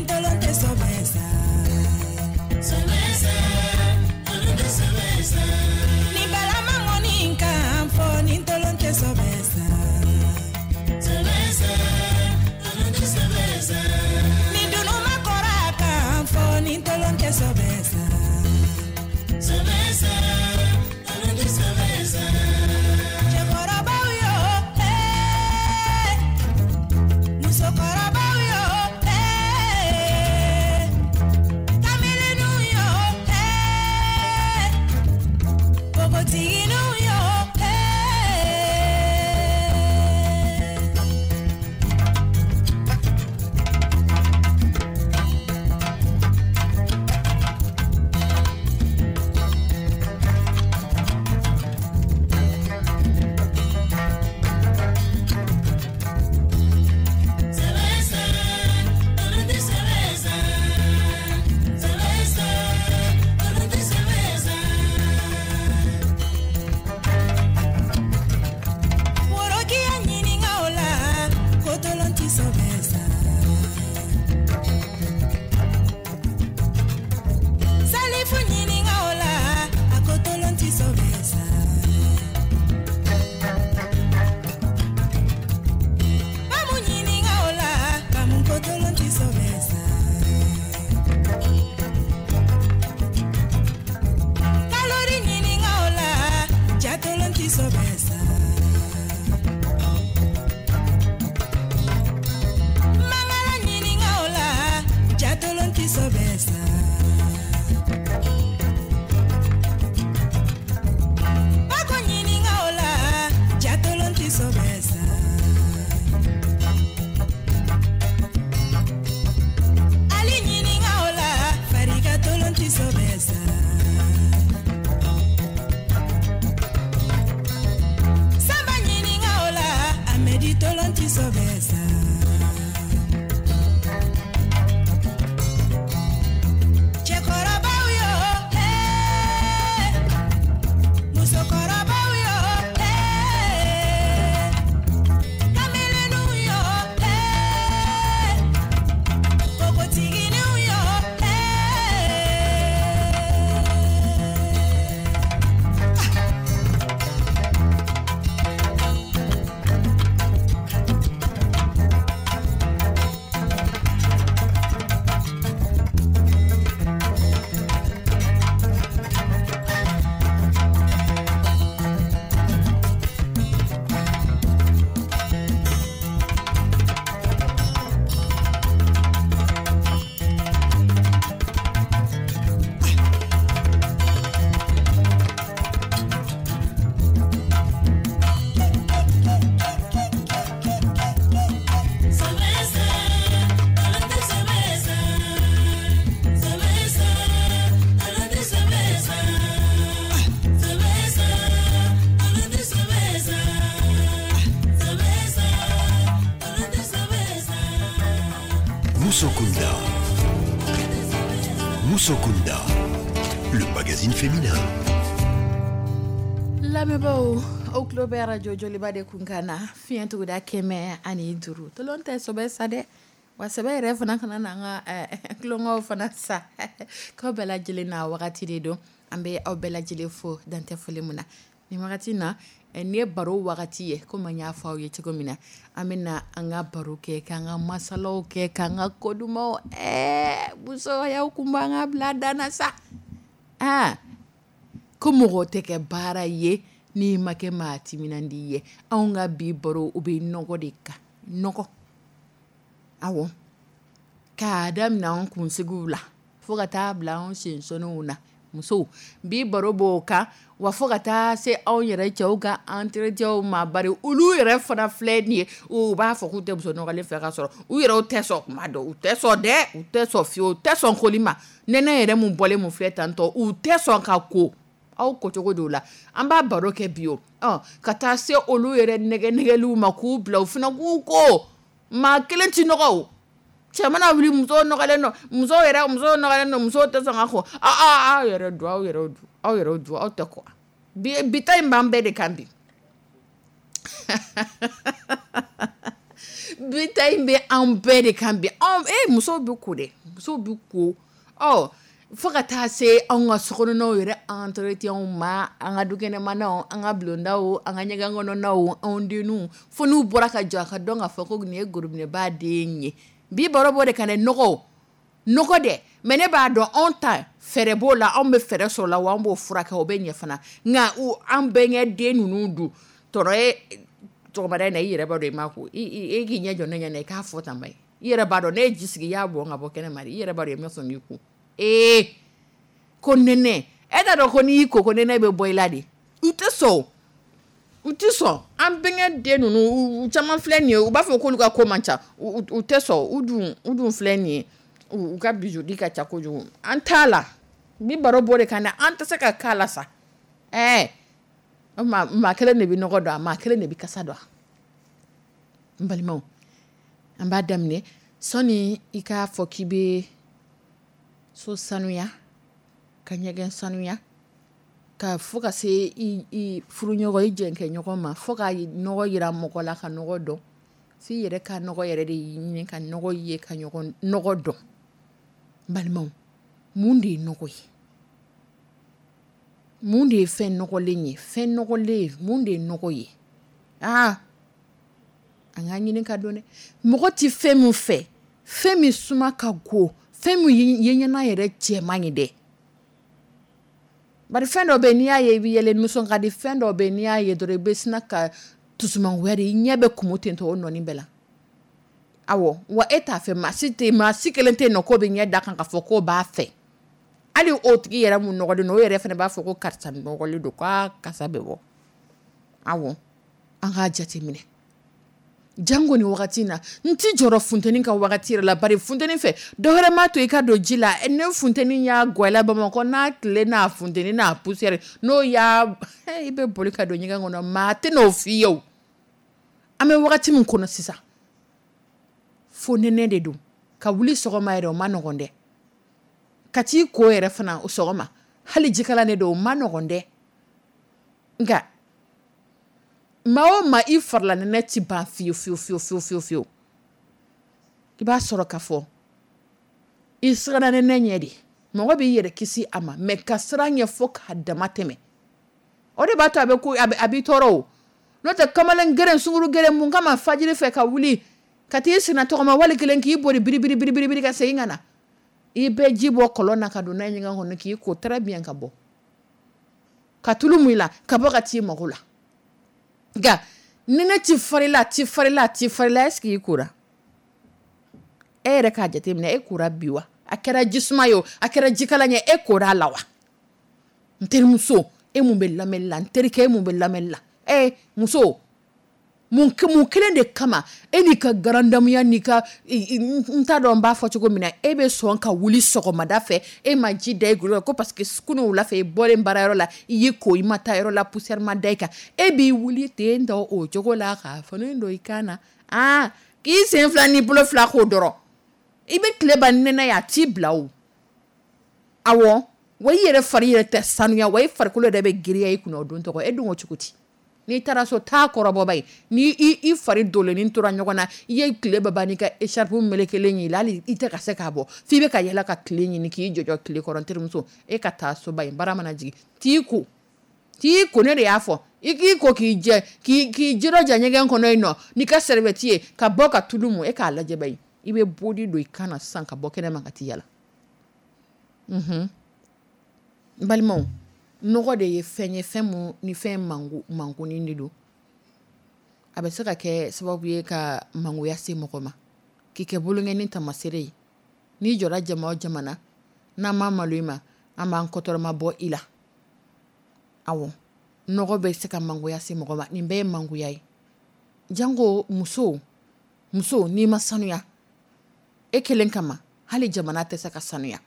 [SPEAKER 1] Musokunda. Musokunda, le magazine féminin.
[SPEAKER 2] Lamɛnbaaw, aw tulo bɛ arajo Joliba de kun kan na, fiɲɛ tuguda kɛmɛ ani duuru. Tolon tɛ sɔbɛ sa dɛ, wa sɛbɛ yɛrɛ fana kana na an ka tulonkɛw fana sa k'aw bɛɛ lajɛlen na wagati de don. An bɛ aw bɛɛ lajɛlen fo dantɛ foli min na nin wagati na. Nin ye baro wagati ye, komi an y'a fɔ aw ye cogo min na, an bɛ na an ka baro kɛ, k'an ka masalaw kɛ, k'an ka ko dumanw. Ɛɛ, musoyaw kun b'an ka bila dan na sa. Aa, ko mɔgɔ tɛ kɛ baara ye n'i ma kɛ maa timinandi ye. Anw ka bi baro, o bɛ nɔgɔ de kan. Nɔgɔ, awɔ, k'a daminɛ anw kunsigiw la fo ka taa bila anw sensɔnniw na. Musow, bi baro b'o kan wa, fo ka taa se anw yɛrɛ cɛw ka entretien ma. Bari olu yɛrɛ fana filɛ nin ye, u b'a fɔ k'u tɛ muso nɔgɔlen fɛ, ka sɔrɔ u yɛrɛ tɛ sɔn kuma dɔn. U tɛ sɔn dɛ, u tɛ sɔn fiyewu, u tɛ sɔn koli ma. Nɛnɛ yɛrɛ mun bɔlen mun filɛ tantɔ, u tɛ sɔn ka ko. Aw kocogo don la, an b'a baro kɛ bi o. Ɔ, ka taa se olu yɛrɛ nɛgɛ nɛgɛliw ma, k'u bila u fana k'u ko. Maa kelen ti nɔgɔ o. Cɛ mana wuli, muso nɔgɔlen don, muso yɛrɛ, muso nɔgɔlen don, muso tɛ sɔn ka ko. Aw aw yɛrɛ dun, aw yɛrɛ dun, aw yɛrɛ dun, aw tɛ ko. Bi bi ta in b'an bɛɛ de kan bi. Bi ta in bɛ an bɛɛ de kan bi. Anw e musow bɛ ko dɛ, musow bɛ ko. Ɔ, fo ka taa se anw ka sokɔnɔnaw yɛrɛ entretien ma, an ka dukɛnɛmanaw, an ka bulondaw, an ka ɲɛgɛn kɔnɔnaw, anw denninw, fo n'u bɔra ka jɔ, a ka dɔn k'a fɔ ko nin ye gorobinɛba den ye. Bi baro b'o de kan dɛ, nɔgɔ nɔgɔ dɛ. Mais ne b'a dɔn, anw ta fɛɛrɛ b'o la, anw bɛ fɛɛrɛ sɔrɔ la wa, an b'o furakɛ, o bɛ ɲɛ fana. Nka an bɛnkɛ den ninnu dun, tɔnɔ ye sɔgɔmada in na, i yɛrɛ b'a dɔn i ma ko i k'i ɲɛ jɔ ne ɲɛna, i k'a fɔ tan ba ye. I yɛrɛ b'a dɔn ne ye ji sigi, i y'a bɔn ka bɔ kɛnɛ ma, i yɛrɛ b'a dɔn i ma sɔn k'i ko. Ee, ko nɛnɛ, e t'a dɔn ko n'i y'i ko, ko nɛnɛ bɛ bɔ i la de. U tɛ sɔn, u tɛ sɔn. An bɛnkɛ den ninnu, u caman filɛ nin ye, u b'a fɔ k'olu ka ko man ca, u tɛ sɔn. U dun u dun filɛ nin ye, u ka bijou ka ca kojugu. An t'a la bi baro b'o de kan dɛ, an tɛ se ka k'a la sa. Ɛɛ, maa kelen de bɛ nɔgɔ don a, maa kelen de bɛ kasa don a. N balimaw, an b'a daminɛ sɔnni i k'a fɔ k'i bɛ so sanuya, ka ɲɛgɛn sanuya, ka fo ka se i i furuɲɔgɔn, i jɛnkɛɲɔgɔn ma, fo ka nɔgɔ yira mɔgɔ la, ka nɔgɔ dɔn, f'i yɛrɛ ka nɔgɔ yɛrɛ de ɲini, ka nɔgɔ ye, ka ɲɔgɔn nɔgɔ dɔn. N balimaw, mun de ye nɔgɔ ye? Mun de ye fɛn nɔgɔlen ye? Fɛn nɔgɔlen, mun de ye nɔgɔ ye? Aa, an k'a ɲini ka dɔn dɛ. Mɔgɔ tɛ fɛn min fɛ, fɛn min suma ka go, fɛn min ye ɲɛna yɛrɛ cɛ man ɲi dɛ. Bari fɛn dɔ bɛ yen, n'i y'a ye i bɛ yɛlɛ, nisɔn ka di. Fɛn dɔ bɛ yen, n'i y'a ye dɔrɔn, i bɛ sina ka dusumangoya de, i ɲɛ bɛ kumu ten tɔ o nɔni bɛɛ la. Awɔ, wa e t'a fɛ, maa si tɛ, maa si kelen tɛ yen nɔ k'o bɛ ɲɛ da kan k'a fɔ k'o b'a fɛ. Hali o tigi yɛrɛ mun nɔgɔlen don, o yɛrɛ fana b'a fɔ ko karisa nɔgɔlen don, k'a kasa bɛ bɔ. Awɔ, an k'a jateminɛ. Jango nin wagati in na, n ti jɔrɔ funteni ka wagati yɛrɛ la, bari funteni fɛ, dɔ wɛrɛ m'a to i ka don ji la. Ne funteni y'a gwɛlɛ Bamakɔ n'a tile n'a funteni n'a poussière, n'o y'a i bɛ boli ka don ɲɛgɛn kɔnɔ, maa tɛ n'o f'i ye o. An bɛ wagati min kɔnɔ sisan, fo nɛnɛ de don. Ka wuli sɔgɔma yɛrɛ, o ma nɔgɔn dɛ. Ka t'i ko yɛrɛ fana o sɔgɔma, hali jikalan de don, o ma nɔgɔn dɛ. Nka maa o maa, i farila nɛnɛ ti ban fiyewu fiyewu fiyewu fiyewu fiyewu fiyewu. I b'a sɔrɔ k'a fɔ i siranna nɛnɛ ɲɛ de. Mɔgɔ b'i yɛrɛ kisi a ma, mais ka siran ɲɛ fo k'a dama tɛmɛ, o de b'a to a bɛ ko a b'i tɔɔrɔ o. N'o tɛ, kamalen geren, sunguru geren, mun kama fajiri fɛ ka wuli ka t'i senna tɔgɔma, wali kelen k'i bori biribiri biribiri ka segin ka na, i bɛ ji bɔ kɔlɔn na ka don n'a ye ɲɛgɛn kɔnɔ, k'i ko très bien, ka bɔ ka tulu mun i la, ka bɔ ka t'i mago la. Nka nɛnɛ ti farila, a ti farila, a ti farila. Est ce que i kora? E yɛrɛ k'a jateminɛ, e kora bi wa? A kɛra jisuma ye o, a kɛra jikalan ye, e kora a la wa? N terimuso, e mun bɛ lamɛnni la, n terikɛ, e mun bɛ lamɛnni la, e muso, mun mun kelen de kama e n'i ka garandamuya n'i ka, n t'a dɔn n b'a fɔ cogo min na, e bɛ sɔn ka wuli sɔgɔmada fɛ, e ma ji da i golo la, ko parce que kunun wula fɛ i bɔlen baarayɔrɔ la, i y'i ko, i ma taa yɔrɔ la, poussière ma da i kan, e b'i wuli ten tɔ o cogo la, k'a fini don i kan na, aa, k'i sen fila n'i bolo fila k'o dɔrɔn. I bɛ tile ban nɛnɛ ye, a t'i bila o. Awɔ, wa i yɛrɛ fari yɛrɛ tɛ sanuya, wa i farikolo yɛrɛ bɛ girinya i kunna o don tɔgɔ. E dun ko cogo di? N'i taara so, taa kɔrɔbɔba ye, ni i fari donlenin tora ɲɔgɔn na, i ye tile bɛɛ ban n'i ka écharpe melekelen y'i la, hali i tɛ ka se k'a bɔ, f'i bɛ ka yɛlɛ ka tile ɲini k'i jɔjɔ tile kɔrɔ. N terimuso, e ka taa soba in, baara mana jigin, t'i ko, t'i ko, ne de y'a fɔ, i k'i ko k'i jɛ, k'i k'i jirɔja ɲɛgɛn kɔnɔ yen nɔ n'i ka serviette ye, ka bɔ ka tulu mun, e k'a lajɛ ba ye, i bɛ body don i kan na sisan ka bɔ kɛnɛ ma ka t'i yala. N balimaw, nɔgɔ de ye fɛn ye, fɛn mun ni fɛn mango mangonin de don. A bɛ se ka kɛ sababu ye ka mangoya se mɔgɔ ma, k'i kɛ bolonkɛni tamasere ye. N'i jɔra jama o jama na, n'an ma malo i ma, an b'an kɔtɔrɔma bɔ i la. Awɔ, nɔgɔ bɛ se ka mangoya se mɔgɔ ma. Nin bɛɛ ye mangoya ye. Janko muso, muso n'i ma sanuya e kelen kama, hali jamana tɛ se ka sanuya.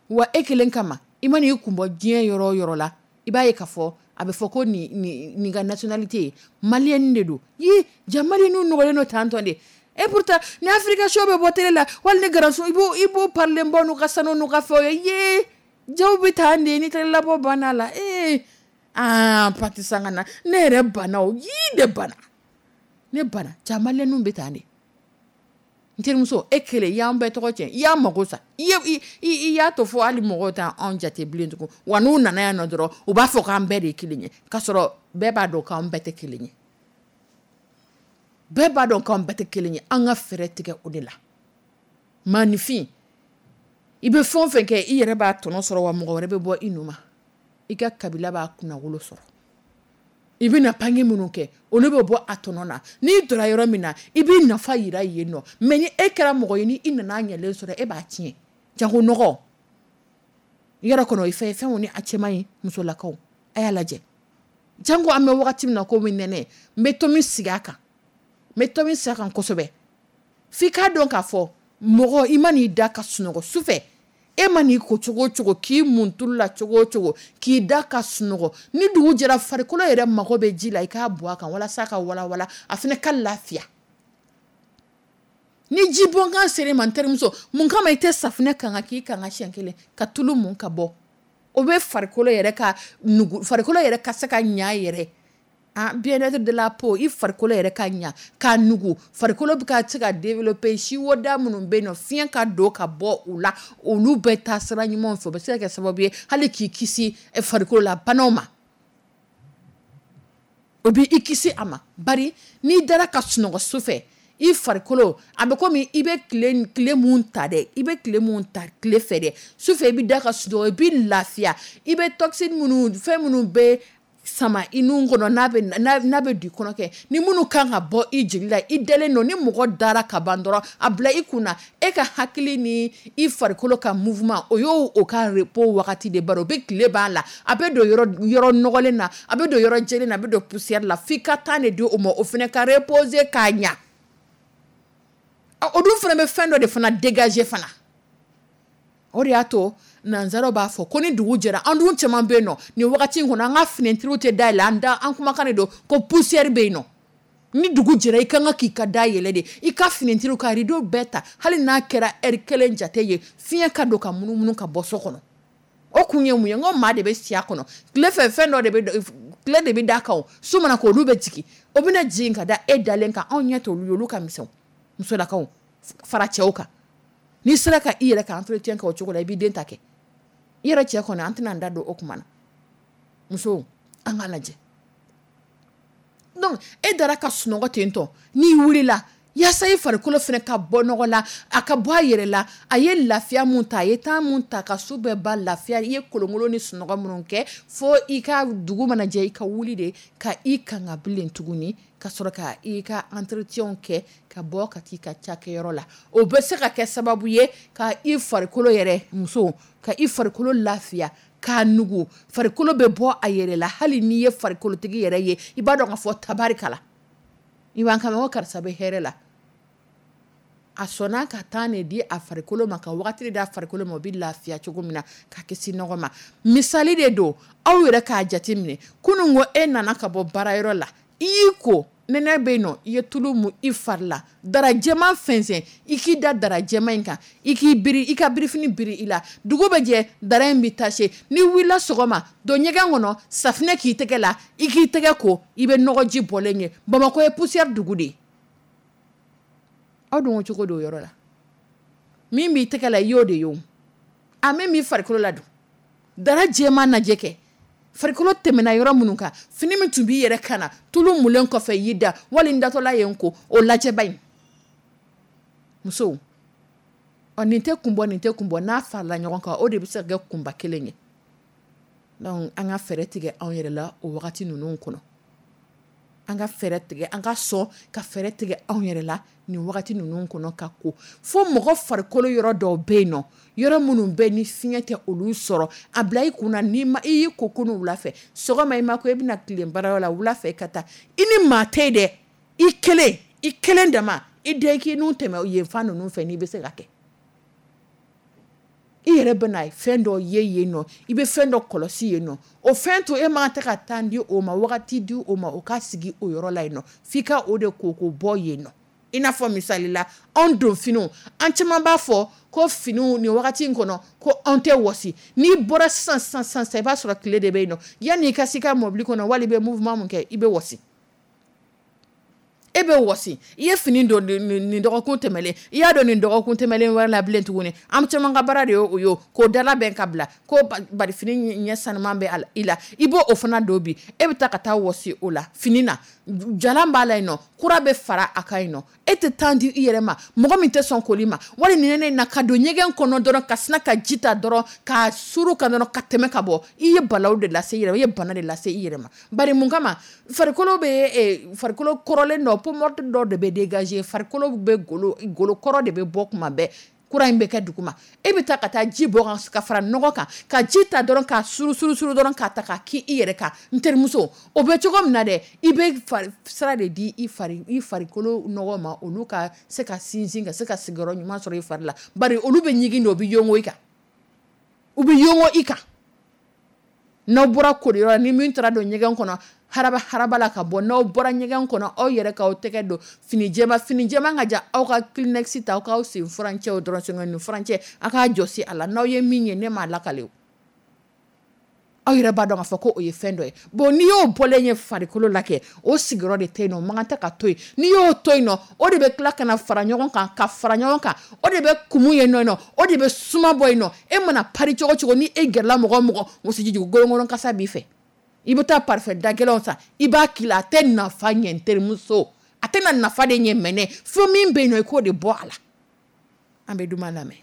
[SPEAKER 2] Wa e kelen kama, i mana i kun bɔ diɲɛ yɔrɔ o yɔrɔ la, i b'a ye k'a fɔ a bɛ fɔ ko nin nin nin ka nationalité ye malienne de don. Yi ja, malienw nɔgɔlen don tantɔ de. Et pourtant ni Africa show bɛ bɔ télé la, wali ni garanso, i b'o i b'o parlen bɔ n'u ka sanu n'u ka fɛnw ye, ye jaw bɛ taa de ni télé labɔ banna la. Ee, aa, pati sanga na, ne yɛrɛ banna o yii de banna, ne banna. Ja, malienw bɛ taa de. N terimuso, e kelen i y'an bɛɛ tɔgɔ tiɲɛ, i y'an mago sa, i ye i y'a to fɔ hali mɔgɔw t'an jate bilen tugun. Wa n'u nana yan nɔ dɔrɔn, u b'a fɔ k'an bɛɛ de ye kelen ye, k'a sɔrɔ bɛɛ b'a dɔn k'an bɛɛ tɛ kelen ye. Bɛɛ b'a dɔn k'an bɛɛ tɛ kelen ye. An ka fɛɛrɛ tigɛ o de la. Maanifin, i bɛ fɛn o fɛn kɛ, i yɛrɛ b'a tɔnɔ sɔrɔ, wa mɔgɔ wɛrɛ bɛ bɔ i nu ma, i ka kabila b'a kunnawolo sɔrɔ. I bɛna pange minnu kɛ, olu bɛ bɔ a tɔnɔ na. N'i donna yɔrɔ min na, i b'i nafa yira yen nɔ. Mais ni e kɛra mɔgɔ ye, ni i nana ɲɛlen sɔrɔ, e b'a tiɲɛ. Jago nɔgɔ yɔrɔ kɔnɔ, i fɛ fɛnw ni a cɛman ye. Musolakaw, a y'a lajɛ, janko an bɛ wagati min na komi nɛnɛ. N bɛ tomi sigi a kan, n bɛ tomi sigi a kan kosɛbɛ. F'i k'a dɔn k'a fɔ mɔgɔ, i ma n'i da ka sunɔgɔ sufɛ, e ma n'i ko cogo o cogo, k'i mun tulu la cogo o cogo, k'i da ka sunɔgɔ, ni dugu jɛra, farikolo yɛrɛ mago bɛ ji la, i k'a bɔ a kan walasa ka walawala, a fana ka lafiya. Ni ji bɔnkan sera ma, n terimuso, mun kama i tɛ safunɛ kan ka k'i kan ka siɲɛ kelen ka tulu mun ka bɔ? O bɛ farikolo yɛrɛ ka nugu, farikolo yɛrɛ ka se ka ɲa yɛrɛ. Ah, bien-être de la peau, i farikolo yɛrɛ ka ɲa k'a nugu, farikolo bɛ ka se ka développer. Siwoda minnu bɛ yen nɔ, fiɲɛ ka don ka bɔ u la, olu bɛ taa sira ɲumanw fɛ. O bɛ se ka kɛ sababu ye hali k'i kisi farikolo la banaw ma, o bɛ i kisi a ma. Bari n'i dara ka sunɔgɔ su fɛ, i farikolo a bɛ komi i bɛ tile tile mun ta dɛ, i bɛ tile mun ta tile fɛ dɛ, su fɛ i bɛ da ka sunɔgɔ, i bɛ lafiya. I bɛ toxine minnu, fɛn minnu bɛ sama i nun kɔnɔ, n'a bɛ n'a bɛ don i kɔnɔ kɛ, ni minnu kan ka bɔ i jeli la, i dalen don. Ni mɔgɔ dara ka ban dɔrɔn, a bila i kunna, e ka hakili ni i farikolo ka mouvement, o y'o o ka repos wagati de. Bari o bɛ tile b'a la, a bɛ don yɔrɔ yɔrɔ nɔgɔlen na, a bɛ don yɔrɔ jɛlen na, a bɛ don poussière la, f'i ka temps de di o ma, o fana ka reposer k'a ɲa. O dun fana bɛ fɛn dɔ de fana dégager fana. O de y'a to nanzaraw b'a fɔ ko ni dugu jɛra, an dun caman bɛ yen nɔ nin wagati in kɔnɔ, an ka fenêtre tɛ dayɛlɛ, an da an kumakan de don ko poussière bɛ yen nɔ. Ni dugu jɛra, i kan ka k'i ka da yɛlɛ de, i ka fenêtre ka rideau bɛɛ ta, hali n'a kɛra heure kelen jate ye, fiɲɛ ka don ka munumunu ka bɔ so kɔnɔ. O kun ye mun ye? N ko maa de bɛ si a kɔnɔ tile fɛ, fɛn dɔ de bɛ tile de bɛ da kan, su mana ko olu bɛ jigin, o bɛna jigin ka da e dalen kan. Anw ɲɛ t'olu ye, olu ka misɛn, musolakaw fara cɛw kan. N'i sera ka i yɛrɛ ka entretien kɛ o cogo la, i b'i den ta kɛ i yɛrɛ cɛ kɔnɔ. An tɛna an da don o kuma na. Muso, an k'a lajɛ. Donc e dara ka sunɔgɔ ten tɔ, n'i wulila, yaasa i farikolo fana ka bɔ nɔgɔ la, a ka bɔ a yɛrɛ la, a ye lafiya mun ta, a ye temps mun ta ka su bɛɛ ba lafiya, i ye kolonkolon ni sunɔgɔ minnu kɛ, fo i ka dugu mana jɛ, i ka wuli de ka i kanga bilen tuguni, ka sɔrɔ ka i ka entretien kɛ, ka bɔ ka t'i ka cakɛyɔrɔ la. O bɛ se ka kɛ sababu ye ka i farikolo yɛrɛ, muso, ka i farikolo lafiya k'a nugu, farikolo bɛ bɔ a yɛrɛ la. Hali n'i ye farikolotigi yɛrɛ ye, i b'a dɔn k'a fɔ tabarikala, i b'an kama ko karisa bɛ hɛrɛ la. A sɔnna ka temps de di a farikolo ma, ka wagati di a farikolo ma, o bɛ lafiya cogo min na, ka kisi nɔgɔ ma. Misali de don, aw yɛrɛ k'a jate minɛ. Kunun ko e nana ka bɔ baarayɔrɔ la, i y'i ko Nɛnɛ bɛ yen nɔ, i ye tulu mun i fari la, dara jɛman fɛnsɛn, i k'i da dara jɛman in kan, i k'i biri, i ka birifini biri i la. Dugu bɛ jɛ, dara in bɛ tache. N'i wulila sɔgɔma, don ɲɛgɛn kɔnɔ, safinɛ k'i tɛgɛ la, i k'i tɛgɛ ko, i bɛ nɔgɔji bɔlen ye. Bamakɔ ye poussière dugu de ye. Aw dun ko cogo don o yɔrɔ la. Min b'i tɛgɛ la, i y'o de ye o. A min b'i farikolo la dun, dara jɛman lajɛ kɛ. Farikolo tɛmɛna yɔrɔ minnu kan, fini min tun b'i yɛrɛ kan na, tulu mulen kɔfɛ y'i da, wali n datɔla ye n ko, o lajɛba in. Musow, ɔ nin tɛ kun bɔ, nin tɛ kun bɔ, n'a farala ɲɔgɔn kan, o de bɛ se ka kɛ kunba kelen ye. Donc an ka fɛɛrɛ tigɛ anw yɛrɛ la o wagati ninnu kɔnɔ. An ka fɛɛrɛ tigɛ, an ka sɔn ka fɛɛrɛ tigɛ anw yɛrɛ la nin wagati ninnu kɔnɔ ka ko. Fo mɔgɔ farikolo yɔrɔ dɔw bɛ yen nɔ, yɔrɔ minnu bɛ ni fiɲɛ tɛ olu sɔrɔ, a bila i kunna n'i ma, i y'i ko kunun wula fɛ, sɔgɔma i ma ko i bɛna tilen baarayɔrɔ la, wula fɛ i ka taa. I ni maa tɛ yen dɛ, i kelen, i kelen dama, i den k'i n'u tɛmɛ yen fan ninnu fɛ n'i bɛ se ka kɛ. I yɛrɛ bɛna fɛn dɔ ye yen nɔ, i bɛ fɛn dɔ kɔlɔsi yen nɔ, o fɛn to e ma tɛ ka temps di o ma, wagati di o ma, o ka sigi o yɔrɔ la yen nɔ, f'i ka o de ko k'o bɔ yen nɔ. I n'a fɔ misali la, anw don finiw, an caman b'a fɔ ko finiw nin wagati in kɔnɔ ko anw tɛ wɔsi. N'i bɔra sisan sisan sisan, i b'a sɔrɔ tile de bɛ yen nɔ. Yanni i ka se i ka mɔbili kɔnɔ, wali i bɛ mouvement mun kɛ, i bɛ wɔsi. E bɛ wɔsi. I ye fini don nin dɔgɔkun tɛmɛlen, i y'a dɔn nin dɔgɔkun tɛmɛlen wɛrɛ la bilen tuguni. An caman ka baara de ye o ye, k'o dala bɛn ka bila, ko bari fini ɲɛ sanuman bɛ i la, i b'o o fana don bi. E bɛ taa ka taa wɔsi o la fini na, jalan b'a la yen nɔ, kura bɛ fara a kan yen nɔ. E tɛ temps di i yɛrɛ ma, mɔgɔ min tɛ sɔn koli ma, wali nin ne na ka don ɲɛgɛn kɔnɔ dɔrɔn, ka sina ka ji ta dɔrɔn, ka suru ka dɔrɔn, ka tɛmɛ ka bɔ. I ye balawu de lase i yɛrɛ ma, i ye bana de lase i yɛrɛ ma. Bari mun kama, farikolo bɛ, farikolo kɔrɔlen dɔ, peau morte dɔ de bɛ dégager, farikolo bɛ golo, golo kɔrɔ de bɛ bɔ kuma bɛɛ, kura in bɛ kɛ duguma. E bɛ taa ka taa ji bɔ ka fara nɔgɔ kan, ka ji ta dɔrɔn ka suru suru suru dɔrɔn k'a ta ka k'i i yɛrɛ kan. N terimuso, o bɛ cogo min na dɛ, i bɛ sira de di i fari i farikolo nɔgɔ ma, olu ka se ka sinsin, ka se ka sigiyɔrɔ ɲuman sɔrɔ i fari la. Bari olu bɛ ɲigin de, u bɛ yongo i kan, u bɛ yongo i kan. N'aw bɔra koliyɔrɔ, ni min taara don ɲɛgɛn kɔnɔ, haraba haraba la ka bɔ, n'aw bɔra ɲɛgɛn kɔnɔ, aw yɛrɛ k'aw tɛgɛ don fini jɛma, fini jɛma ka ja, aw ka Kleenex ta, aw k'aw sen furancɛw dɔrɔn, senkɔni furancɛ, aw k'a jɔsi a la. N'aw ye min ye, ne m'a lakale o. Aw yɛrɛ b'a dɔn k'a fɔ ko o ye fɛn dɔ ye. Bon, n'i y'o bɔlen ye farikolo la kɛ, o sigiyɔrɔ de tɛ yen nɔ, o man kan tɛ ka to yen. N'i y'o to yen nɔ, o de bɛ tila ka na fara ɲɔgɔn kan, ka fara ɲɔgɔn kan, o de bɛ kumu yen nɔ, o de bɛ suma bɔ yen nɔ. E mana pari cogo cogo, ni e gɛrɛla mɔgɔ o mɔgɔ, wosijijugu gɔlɔngɔlɔn kasa b'i fɛ. I bɛ taa parfum da gɛlɛnw san, i b'a k'i la, a tɛ nafa ɲɛ n terimuso, a tɛna nafa de ɲɛ mɛnɛ, fo min bɛ yen nɔ, i k'o de bɔ a la. An bɛ duman lamɛn.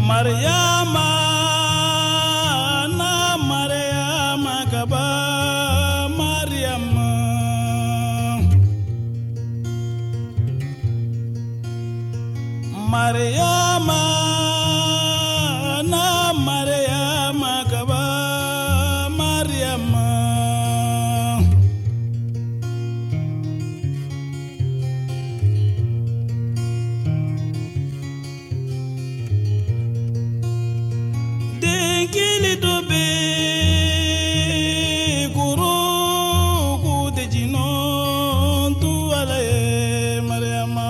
[SPEAKER 3] Mariama, na Mariama kaba, Mariama. Mariama, na Mariama kaba, Mariama. Kili dobe guru ku de jino tu ala ye Mariama.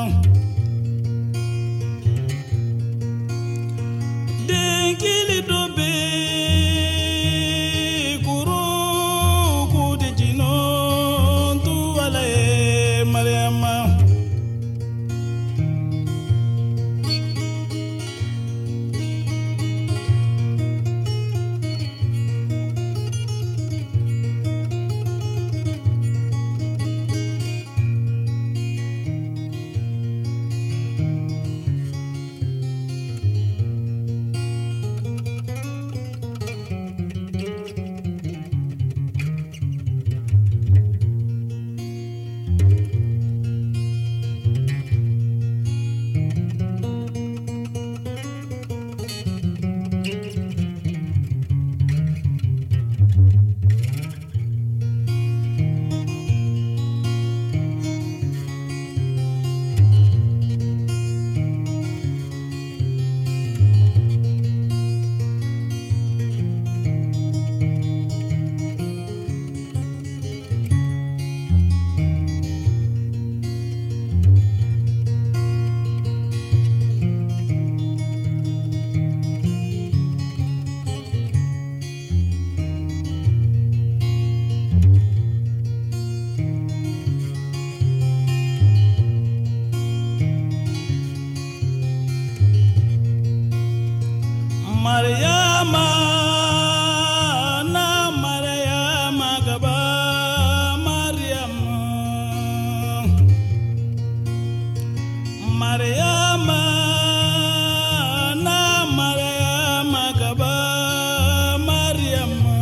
[SPEAKER 3] Mariama na Mariama gaba Mariama Mariama na Mariama gaba Mariama.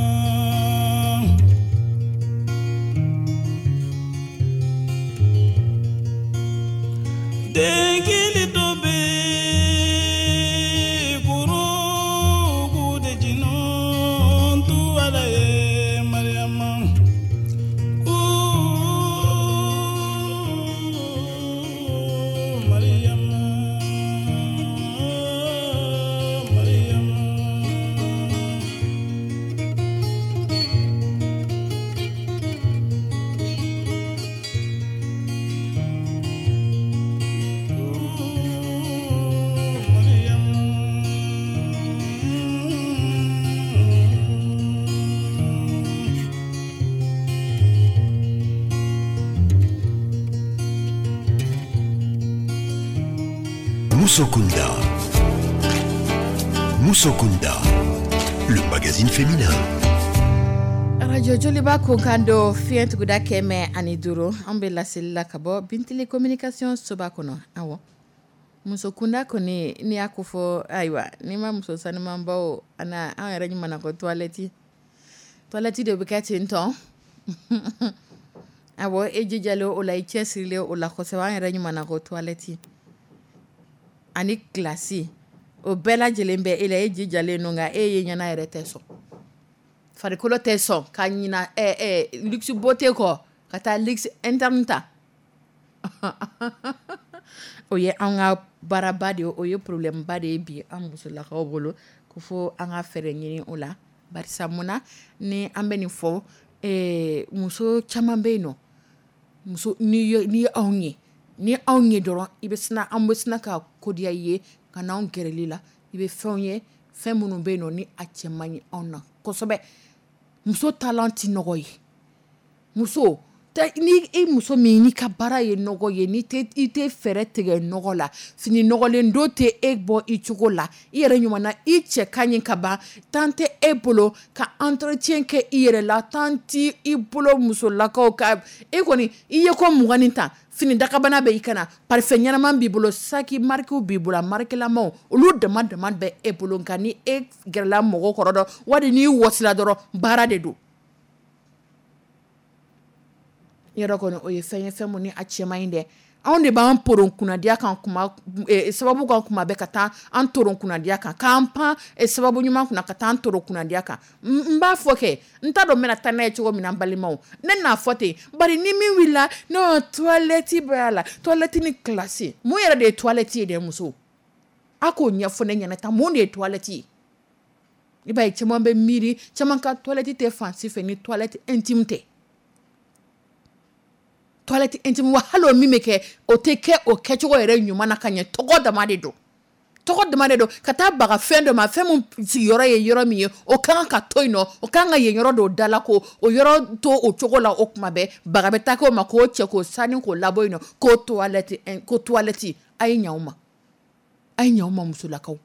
[SPEAKER 3] Dengili tobe guru gude jinon tu ala ye Mariama. Ooh, Mariama, Mariama.
[SPEAKER 1] Musokunda. Musokunda, le magazine féminin.
[SPEAKER 2] Radio Joliba kunkan don fiɲɛ tuguda kɛmɛ ani duuru. An bɛ laseli la ka bɔ Bintili Communication soba kɔnɔ. Awɔ, muso kunda kɔni n'i y'a ko fɔ, ayiwa, n'i ma muso sanumanbaw ana an yɛrɛ ɲuman ko toilette toilette de bɛ kɛ ten tɔn. Awɔ, e jijalen o la, i cɛsirilen o la kosɛbɛ. An yɛrɛ ɲuman ko toilette ani classe, o bɛɛ lajɛlen bɛ e la, e jijalen don, nka e ye ɲɛna yɛrɛ tɛ sɔn, farikolo tɛ sɔn ka ɲina ɛ ɛ luxe beauté kɔ ka taa luxe interne ta. O ye an ka baaraba de ye, o ye problème ba de ye bi an musolakaw bolo, ko fo an ka fɛɛrɛ ɲini o la. Barisa mun na ni an bɛ nin fɔ, ee muso caman bɛ yen nɔ, muso n'i ye n'i ye anw ye, ni anw ye dɔrɔn, i bɛ sina, an bɛ sina ka kodiya i ye ka n'anw gɛrɛli la. I bɛ fɛnw ye, fɛn minnu bɛ yen nɔ ni a cɛ man ɲi anw na kosɛbɛ. Muso taalan tɛ nɔgɔ ye. Muso ni i muso min n'i ka baara ye nɔgɔ ye, ni tɛ i tɛ fɛɛrɛ tigɛ nɔgɔ la, fini nɔgɔlen don tɛ e bɔ i cogo la, i yɛrɛ ɲuman na, i cɛ ka ɲi ka ban, temps tɛ e bolo ka entretien kɛ i yɛrɛ la, temps ti i bolo musolakaw ka e kɔni i ye ko mugan ni tan, fini dakabana bɛ i kana, parfum ɲɛnama b'i bolo, saki marque b'i bolo, a marque lamaw olu dama dama bɛ e bolo. Nka ni e gɛrɛla mɔgɔ kɔrɔ dɔn, wali n'i wɔsila dɔrɔn, baara de don. Yɔrɔ kɔni o ye fɛn ye, fɛn mun ni a cɛ man ɲi dɛ. Anw de b'an poron kunnadiya kan kuma eh, sababu kan kuma bɛɛ ka taa an toron kunnadiya kan, k'an pan eh, sababu ɲuman kunna ka taa an toron kunnadiya kan. N b'a fɔ kɛ, n t'a dɔn n bɛna taa n'a ye cogo min na, n balimaw, ne n'a fɔ ten. Bari ni min wulila n'o toilette bɛ a la, toilette ni classe, mun yɛrɛ de ye toilette ye dɛ? Muso, a k'o ɲɛfɔ ne ɲɛna tan, mun de ye toilette ye? I b'a ye caman bɛ miiri, caman ka toilette tɛ fan si fɛ ni toilette intime tɛ. Toilette intime wa, hali o min bɛ kɛ, o tɛ kɛ o kɛcogo yɛrɛ ɲuman na ka ɲɛ. Tɔgɔ dama de don, tɔgɔ dama de don, ka taa baga fɛn dɔ ma, fɛn min sigiyɔrɔ ye yɔrɔ min ye, o kan ka to yen nɔ, o kan ka yen yɔrɔ dɔw da la, ko o yɔrɔ to o cogo la. O kuma bɛɛ baga bɛ taa k'o ma, k'o cɛ k'o sani k'o labɔ yen nɔ, k'o toilette, ko toilette. A ye ɲɛ aw ma, a ye ɲɛ aw ma, musolakaw.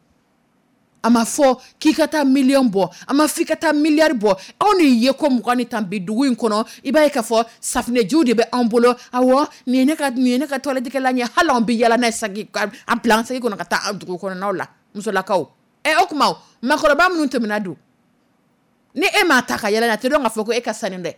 [SPEAKER 2] A ma fɔ k'i ka taa miliyɔn bɔ, a ma fɔ i ka taa miliyari bɔ. Anw de ye ko mugan ni tan bi dugu in kɔnɔ. I b'a ye k'a fɔ safunɛjiw de bɛ anw bolo. Awɔ, nin ye ne ka nin ye ne ka toilette kɛlan ye. Hali anw bɛ yala n'a ye, saki a bila an saki kɔnɔ ka taa dugu kɔnɔnaw la, musolakaw. Ɛ, o tuma maakɔrɔba minnu tɛmɛna dun, ni e m'a ta ka yɛlɛ, a tɛ dɔn k'a fɔ ko e ka sanu dɛ.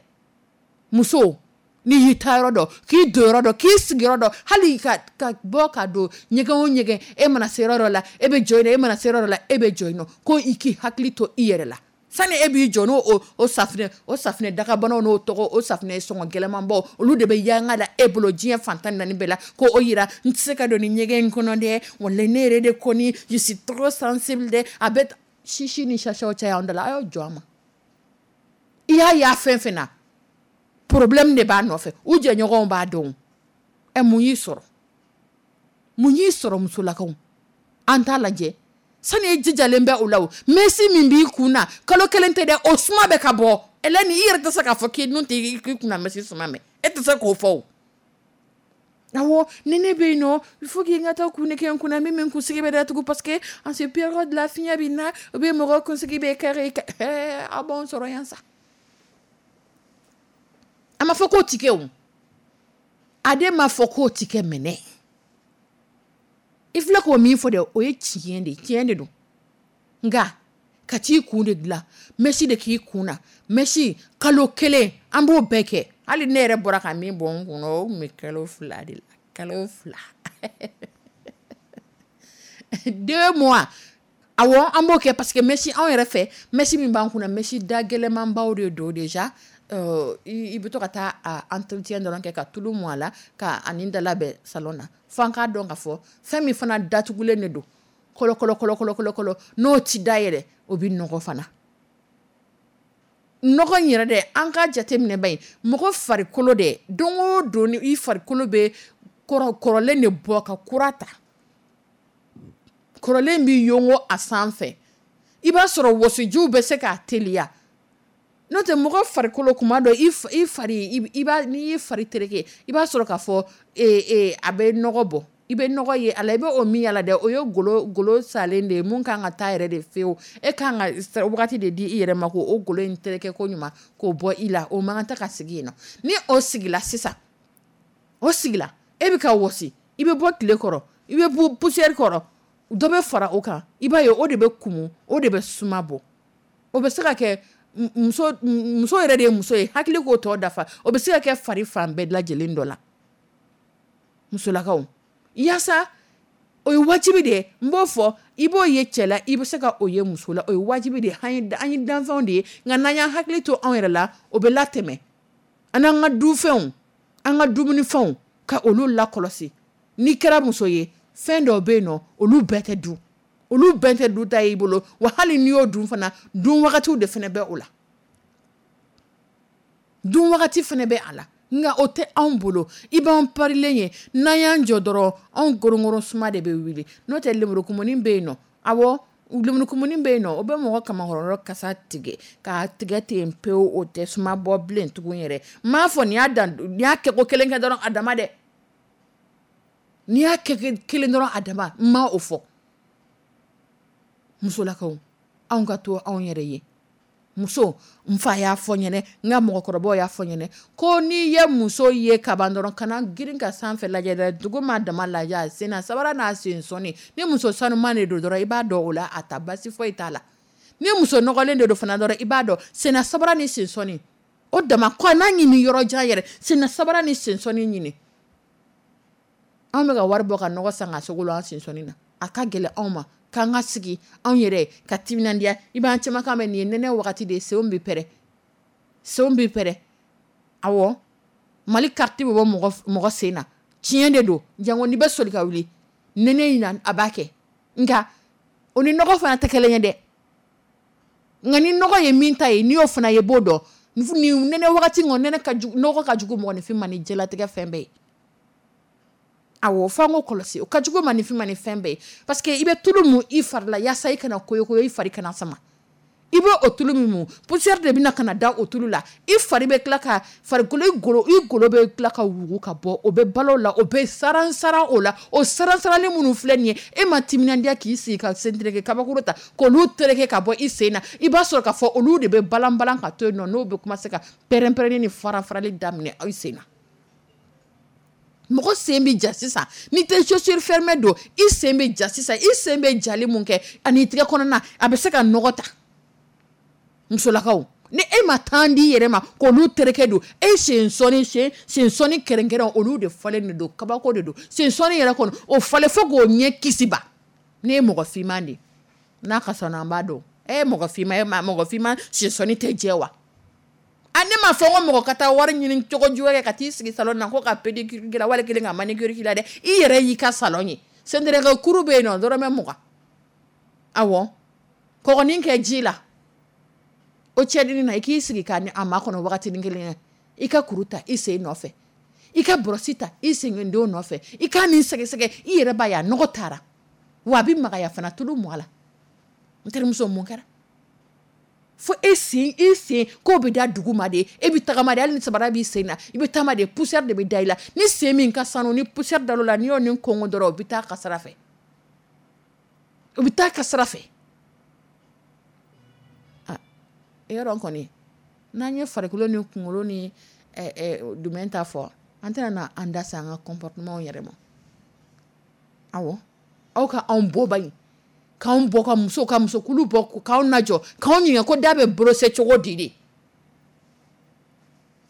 [SPEAKER 2] Muso, n'i y'i ta yɔrɔ dɔn, k'i don yɔrɔ dɔn, k'i sigi yɔrɔ dɔn, hali ka ka bɔ ka don ɲɛgɛn o ɲɛgɛn, e mana se yɔrɔ dɔ la, e bɛ jɔ yen nɔ, e mana se yɔrɔ dɔ la, e bɛ jɔ yen nɔ, ko i k'i hakili to i yɛrɛ la. Sani e b'i jɔ n'o o o safunɛ o safunɛ dagabanaw n'o tɔgɔ o safunɛ sɔngɔ gɛlɛnmanbaw, olu de bɛ yanga la e bolo diɲɛ fantan naani bɛɛ la, ko o yira n tɛ se ka don ni ɲɛgɛn in kɔnɔ dɛ, walayi ne yɛrɛ de kɔni je suis trop sensible dɛ. A bɛ sisi ni sasaw caya an da la, a y'aw jɔ a ma. I y'a ye a fɛn fɛn na, problème de b'a nɔfɛ, u jɛɲɔgɔnw b'a dɔn. Ɛ, mun y'i sɔrɔ, mun y'i sɔrɔ? Musolakaw, an t'a lajɛ sani e jijalen bɛ o la. O mɛsi min b'i kun na, kalo kelen tɛ dɛ, o suma bɛ ka bɔ. Ɛlɛni, i yɛrɛ tɛ se k'a fɔ k'i nun tɛ k'i kunna mɛsi suma mɛn, e tɛ se k'o fɔ. O Awɔ, ni ne bɛ yen nɔ, il faut que n ka taa kun de kɛ n kunna min bɛ n kunsigi bɛ datugu, parce que en ce période la, fiɲɛ bɛ na, u bɛ mɔgɔ kunsigi bɛ kari. Aw b'anw sɔrɔ yan sa. A ma fɔ k'o ti kɛ o, a de ma fɔ k'o ti kɛ. Mɛnɛ i filɛ k'o min fɔ dɛ, o ye tiɲɛ de ye, tiɲɛ de don. Nka ka t'i kun de dilan, mèche de k'i kun na, mèche kalo kelen, an b'o bɛɛ kɛ. Hali ne yɛrɛ bɔra ka min bɔ n kun na, o tun bɛ kalo fila de la, kalo fila, deux mois. Awɔ, an b'o kɛ, parce que mèche, anw yɛrɛ fɛ, mèche min b'an kunna, mèche da gɛlɛnmanbaw de don. Déjà i bɛ to ka taa a entretien dɔrɔn kɛ, ka tulu mu a la, ka ani da labɛn salon na. F'an k'a dɔn k'a fɔ fɛn min fana datugulen de don, kɔlɔ kɔlɔ kɔlɔ kɔlɔ kɔlɔ, n'o ti da yɛlɛ, o bɛ nɔgɔ fana. Nɔgɔ in yɛrɛ dɛ, an ka jateminɛ ba ye, mɔgɔ farikolo dɛ, don o don ni i farikolo bɛ kɔrɔ kɔrɔlen de bɔ ka kura ta, kɔrɔlen bɛ yongo a sanfɛ, i b'a sɔrɔ wɔsijiw bɛ se k'a teliya. N'o tɛ, mɔgɔ farikolo kuma dɔ, i fari, i b'a, n'i y'i fari tereke, i b'a sɔrɔ k'a fɔ ee a bɛ nɔgɔ bɔ, i bɛ nɔgɔ ye a la. I bɛ o min y'a la dɛ, o ye golo golo salen de ye, mun kan ka taa yɛrɛ de fewu. E kan ka wagati de di i yɛrɛ ma k'o golo in tereke ko ɲuman k'o bɔ i la. O man kan tɛ ka sigi yen nɔ. Ni o sigila sisan, o sigila, e bɛ ka wɔsi, i bɛ bɔ tile kɔrɔ, i bɛ bɔ poussière kɔrɔ, dɔ bɛ fara o kan, i b'a ye o de bɛ kumu, o de bɛ suma bɔ. O bɛ se ka kɛ muso muso yɛrɛ de ye muso ye, hakili k'o tɔ dafa. O bɛ se ka kɛ fari fan bɛɛ lajɛlen dɔ la. Musolakaw, yaasa o ye wajibi de ye. N b'o fɔ, i b'o ye cɛ la, i bɛ se ka o ye muso la, o ye wajibi de ye. An ye danfɛnw de ye, nka n'an y'an hakili to anw yɛrɛ la, o bɛ latɛmɛ. An n'an ka dufɛnw, an ka dumunifɛnw, ka olu lakɔlɔsi. N'i kɛra muso ye, fɛn dɔw bɛ yen nɔ, olu bɛɛ tɛ dun, olu bɛɛ tɛ dun ta y'i bolo wa. Hali n'i y'o dun fana, dun wagatiw de fana bɛ o la, dun wagati fana bɛ a la. Nka o tɛ anw bolo. I b'an parilen ye, n'an y'an jɔ dɔrɔn, anw gorongoro suma de bɛ wuli. N'o tɛ, lemurukumuni bɛ yen nɔ. Awɔ, lemurukumuni bɛ yen nɔ, o bɛ mɔgɔ kamakɔrɔ kasa tigɛ k'a tigɛ ten pewu, o tɛ suma bɔ bilen tugun yɛrɛ. N m'a fɔ nin y'a dan, nin y'a kɛ ko kelen kɛ dɔrɔn a dama dɛ, n'i y'a kɛ kelen dɔrɔn a dama, n ma o fɔ. Musolakaw, anw ka to anw yɛrɛ ye. Muso, n fa y'a fɔ ɲɛnɛ, n ka mɔgɔkɔrɔbaw y'a fɔ ɲɛnɛ ko n'i ye muso ye kaban dɔrɔn, kana girin ka sanfɛ lajɛ dɛ, dugu ma dama lajɛ, a sen na sabara n'a sen sɔnni. Ni muso sanuman de don dɔrɔn, i b'a dɔn o la, a ta basi foyi t'a la. Ni muso nɔgɔlen de don fana dɔrɔn, i b'a dɔn senna sabara ni sen sɔnni, o dama kɔ n'a ɲini yɔrɔ jan yɛrɛ, senna sabara ni sen sɔnni ɲini. Anw bɛ ka wari bɔ ka nɔgɔ san ka sogo an sen sɔnni na. A ka gɛlɛn anw ma k'an ka sigi anw yɛrɛ ka timinandiya. I b'an caman kan mɛn, nin ye nɛnɛ wagati de ye, senw bɛ pɛrɛn, senw bɛ pɛrɛn. Awɔ, Mali carte bɛ bɔ mɔgɔ mɔgɔ sen na, tiɲɛ de don. Jango n'i bɛ soli ka wuli nɛnɛ in na, a b'a kɛ. Nka o ni nɔgɔ fana tɛ kelen ye dɛ. Nka ni nɔgɔ ye min ta ye, n'i y'o fana ye, b'o dɔn. Nin nɛnɛ wagati kɔni, nɛnɛ ka jugu, nɔgɔ ka jugu mɔgɔninfin ma ni diɲɛlatigɛ fɛn bɛɛ ye. Awɔ, f'an k'o kɔlɔsi, o ka jugu maninfin ma ni fɛn bɛɛ ye, parce que i bɛ tulu mun i fari la, yaasa i kana koyokoyo, i fari kana sama. I b'o o tulu min mun, poussière de bɛna ka na da o tulu la. I fari bɛ tila ka farikolo, i golo i golo bɛ tila ka wugu ka bɔ, o bɛ balo la, o bɛ saran saran o la. O saran sarali minnu filɛ nin ye, e ma timinandiya k'i sigi ka sen tereke kabakuru ta k'olu tereke ka bɔ i sen na, i b'a sɔrɔ k'a fɔ olu de bɛ balan balan ka to yen nɔ, n'o bɛ commencer ka pɛrɛn pɛrɛnni ni fara farali daminɛ i sen na. Mɔgɔ sen bɛ ja sisan, n'i tɛ chaussure fermée don, i sen bɛ ja sisan. I sen bɛ jali mun kɛ, ani tigɛ kɔnɔna, a bɛ se ka nɔgɔ ta. Musolakaw, ni e ma temps di i yɛrɛ ma k'olu tereke don, e sen sɔnni, sen sen sɔnni kɛrɛnkɛrɛn, olu de falen de don, kabako de don. Sen sɔnni yɛrɛ kɔni, o falen fo k'o ɲɛ kisi ba. Ne ye mɔgɔ finman de ye, n'a ka sɔnni, an b'a dɔn. E ye mɔgɔ finman ye, mɔgɔ finman sen sɔnni tɛ jɛ wa? A ne m'a fɔ ko mɔgɔ ka taa wari ɲini cogo jugu kɛ ka t'i sigi salon na ko ka pédicure k'i la, wali kelen ka manicure k'i la dɛ. I yɛrɛ y'i ka salon ye, sentereke kuru bɛ yen nɔ, dɔrɔmɛ mugan. Awɔ, kɔgɔnin kɛ ji la, o cɛdini na, i k'i sigi k'a a makɔnɔ wagatinin kelen ye. I ka kuru ta i sen nɔfɛ, i ka bɔrɔsi ta i sendenw nɔfɛ, i k'a nin sɛgɛsɛgɛ, i yɛrɛ b'a ye a nɔgɔ taara wa, a bɛ magaya fana. Tulu mɔ a la. N terimuso, mun kɛra? Fo e sen, e sen k'o bɛ da dugu ma de, e bɛ tagama de, hali ni sabara b'i sen na, i bɛ taama de, poussière de bɛ da i la. Ni sen min ka sanu ni poussière da la, n'i y'o ni kɔngɔ dɔrɔn, o bɛ taa ka sira fɛ, o bɛ taa ka sira fɛ. Ah, yɔrɔ kɔni n'an ye farikolo ni kunkolo ni domaine ta fɔ, an tɛna na an da se an ka comportement yɛrɛ ma. Awɔ, aw ka anw bɔ ba in, k'anw bɔ ka muso ka musokulu bɔ, k'anw lajɔ, k'anw ɲininka ko da bɛ brosser cogo di de.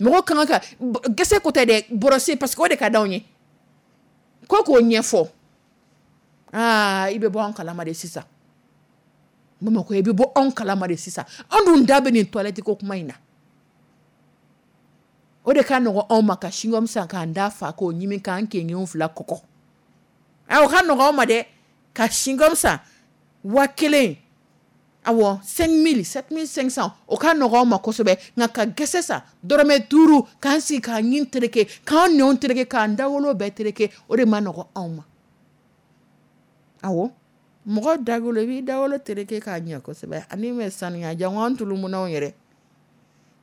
[SPEAKER 2] Mɔgɔ kan ka gɛsɛ ko tɛ dɛ, brosser, parce que o de ka d'anw ye, ko k'o ɲɛfɔ. Aa, i bɛ bɔ anw kalama de sisan. Bamakɔ, i bɛ bɔ anw kalama de sisan. An dun da bɛ nin toilette ko kuma in na. O de ka nɔgɔn anw ma ka chewing-gum san k'an da fa k'o ɲimi k'an kengenw fila kɔkɔ. O ka nɔgɔn anw ma dɛ, ka chewing-gum san wa kelen, awɔ, cinq mille, sept mille cinq cents, o ka nɔgɔn anw ma kosɛbɛ. Nka ka gɛsɛ san dɔrɔmɛ duuru k'an sigi k'an ɲin tereke, k'an nɛnw tereke, k'an dawolo bɛɛ tereke, o de ma nɔgɔn anw ma. Awɔ, mɔgɔ dawolo, i b'i dawolo tereke k'a ɲɛ kosɛbɛ ani bɛ sanuya. Jango an tulumunaw yɛrɛ,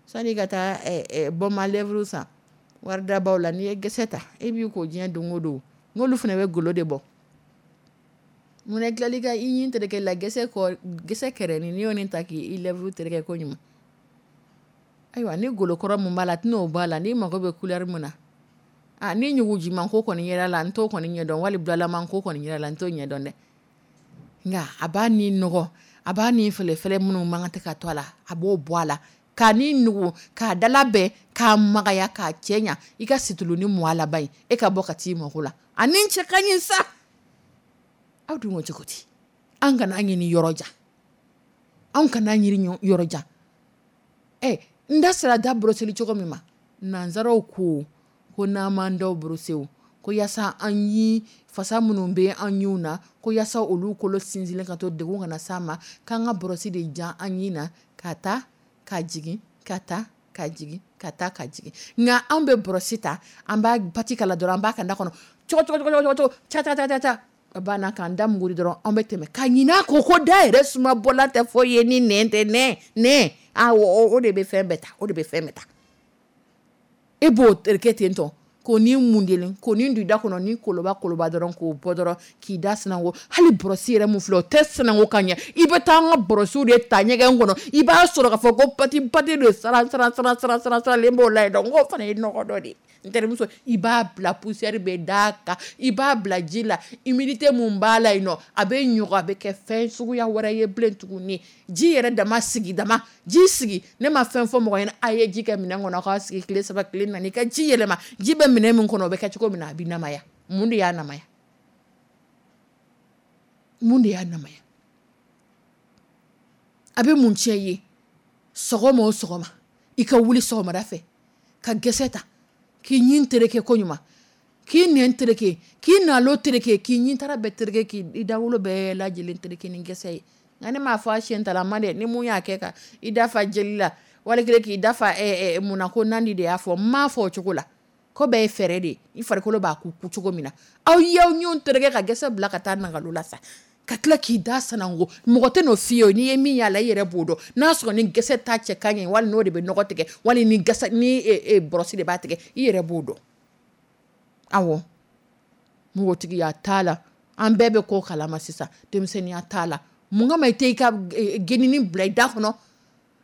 [SPEAKER 2] sani ka taa baume à lèvres san waridabaw la, n'i ye gɛsɛ ta, e b'i ko diɲɛ don o don, n'olu fana bɛ golo de bɔ. Munna tilali ka i ɲin tereke la gɛsɛ kɔ, gɛsɛ kɛrɛnin, n'i y'o nin ta k'i lèvre tereke ko ɲuman, ayiwa, ni golokɔrɔ mun b'a la, a tɛna o bɔ a la. N'i mago bɛ couleur mun na, a ni ɲugujiman ko kɔni yɛrɛ la, n t'o kɔni ɲɛdɔn, wali bulalaman ko kɔni yɛrɛ la, n t'o ɲɛdɔn dɛ. Nka a b'a ni nɔgɔ, a b'a ni fɛlɛfɛlɛ minnu man kan tɛ ka to a la, a b'o bɔ a la, k'a ni nugu, k'a dala bɛn, k'a magaya, k'a cɛ ɲa. I ka situlu ni mɔ a laban ye, e ka bɔ ka t'i mako la, a ni cɛ ka ɲi sa. Aw dun ko cogo di? An kana ɲini yɔrɔ jan, anw kana ɲini yɔrɔ jan. Ɛ, n da sera da boroseli cogo min ma, nanzaraw ko ko n'an m'an daw borose, ko yaasa an ɲi fasa minnu bɛ an ɲinw na, ko yaasa olu kolo sinsinlen ka to, degun kana s'an ma, k'an ka bɔrɔsi de jan an ɲin na, ka taa ka jigin, ka taa ka jigin, ka taa ka jigin. Nka anw bɛ bɔrɔsi ta, an b'a pati kala dɔrɔn, an b'a ka da kɔnɔ cogo cogo cogo cogo, ca ca ca ca, a banna, k'an da muguri dɔrɔn, an bɛ tɛmɛ ka ɲin'a kɔ ko da yɛrɛ suma bɔla tɛ foyi ye ni nɛn tɛ. Nɛn nɛn, awɔ, o de bɛ fɛn bɛɛ ta, o de bɛ fɛn bɛɛ ta. E b'o tereke ten tɔ, k'o ni mun deli, k'o ni don i da kɔnɔ ni koloba koloba dɔrɔn, k'o bɔ dɔrɔn k'i da sanango. Hali bɔrɔsi yɛrɛ mun filɛ, o tɛ sanango ka ɲɛ. I bɛ taa an ka bɔrɔsiw de ta ɲɛgɛn kɔnɔ, i b'a sɔrɔ k'a fɔ ko pati pati de saran saran saran saran saran saralen b'o la yen. Donc k'o fana ye nɔgɔ dɔ de ye. N terimuso, i b'a bila poussière bɛ d'a kan, i b'a bila ji la, humidité mun b'a la yen nɔ, a bɛ ɲɔgɔn, a bɛ kɛ fɛn suguya wɛrɛ ye bilen tuguni. Ji yɛrɛ dama sigi, dama ji sigi, ne ma fɛn fɔ mɔgɔ ɲɛna, a ye ji kɛ minɛn kɔnɔ k'a sigi tile saba, tile naani, i ka ji yɛlɛma. Ji bɛ minɛn min kɔnɔ, o bɛ kɛ cogo min na, a bɛ namaya. Mun de y'a namaya? Mun de y'a namaya? A bɛ mun tiɲɛ i ye? Sɔgɔma o sɔgɔma, i ka wuli sɔgɔmada fɛ ka gɛsɛ ta k'i ɲin tereke ko ɲuman, k'i nɛn tereke, k'i nalo tereke, k'i ɲin tara bɛɛ tereke, k'i dawolo bɛɛ lajɛlen tereke ni gɛsɛ ye. Nka ne m'a fɔ a siɲɛ talama dɛ, ni mun y'a kɛ ka i dafa jeli la, wali kelen k'i dafa mun na, ko nandi de y'a fɔ. N m'a fɔ o cogo la, ko bɛɛ ye fɛɛrɛ de ye, i farikolo b'a ku cogo min na. Aw y'aw ɲinw tereke ka gɛsɛ bila ka taa nagalo la sa, ka tila k'i da sanango, mɔgɔ tɛ n'o f'i ye. N'i ye min y'a la, i yɛrɛ b'o dɔn n'a sɔrɔ ni gɛsɛ ta cɛ ka ɲi, wali n'o de bɛ nɔgɔ tigɛ, wali ni gɛsɛ ni bɔrɔsi de b'a tigɛ, i yɛrɛ b'o dɔn. Awɔ, npogotigiya t'a la, an bɛɛ bɛ ko kalama sisan, denmisɛnninya t'a la. Mun kama i tɛ i ka genini bila i da kɔnɔ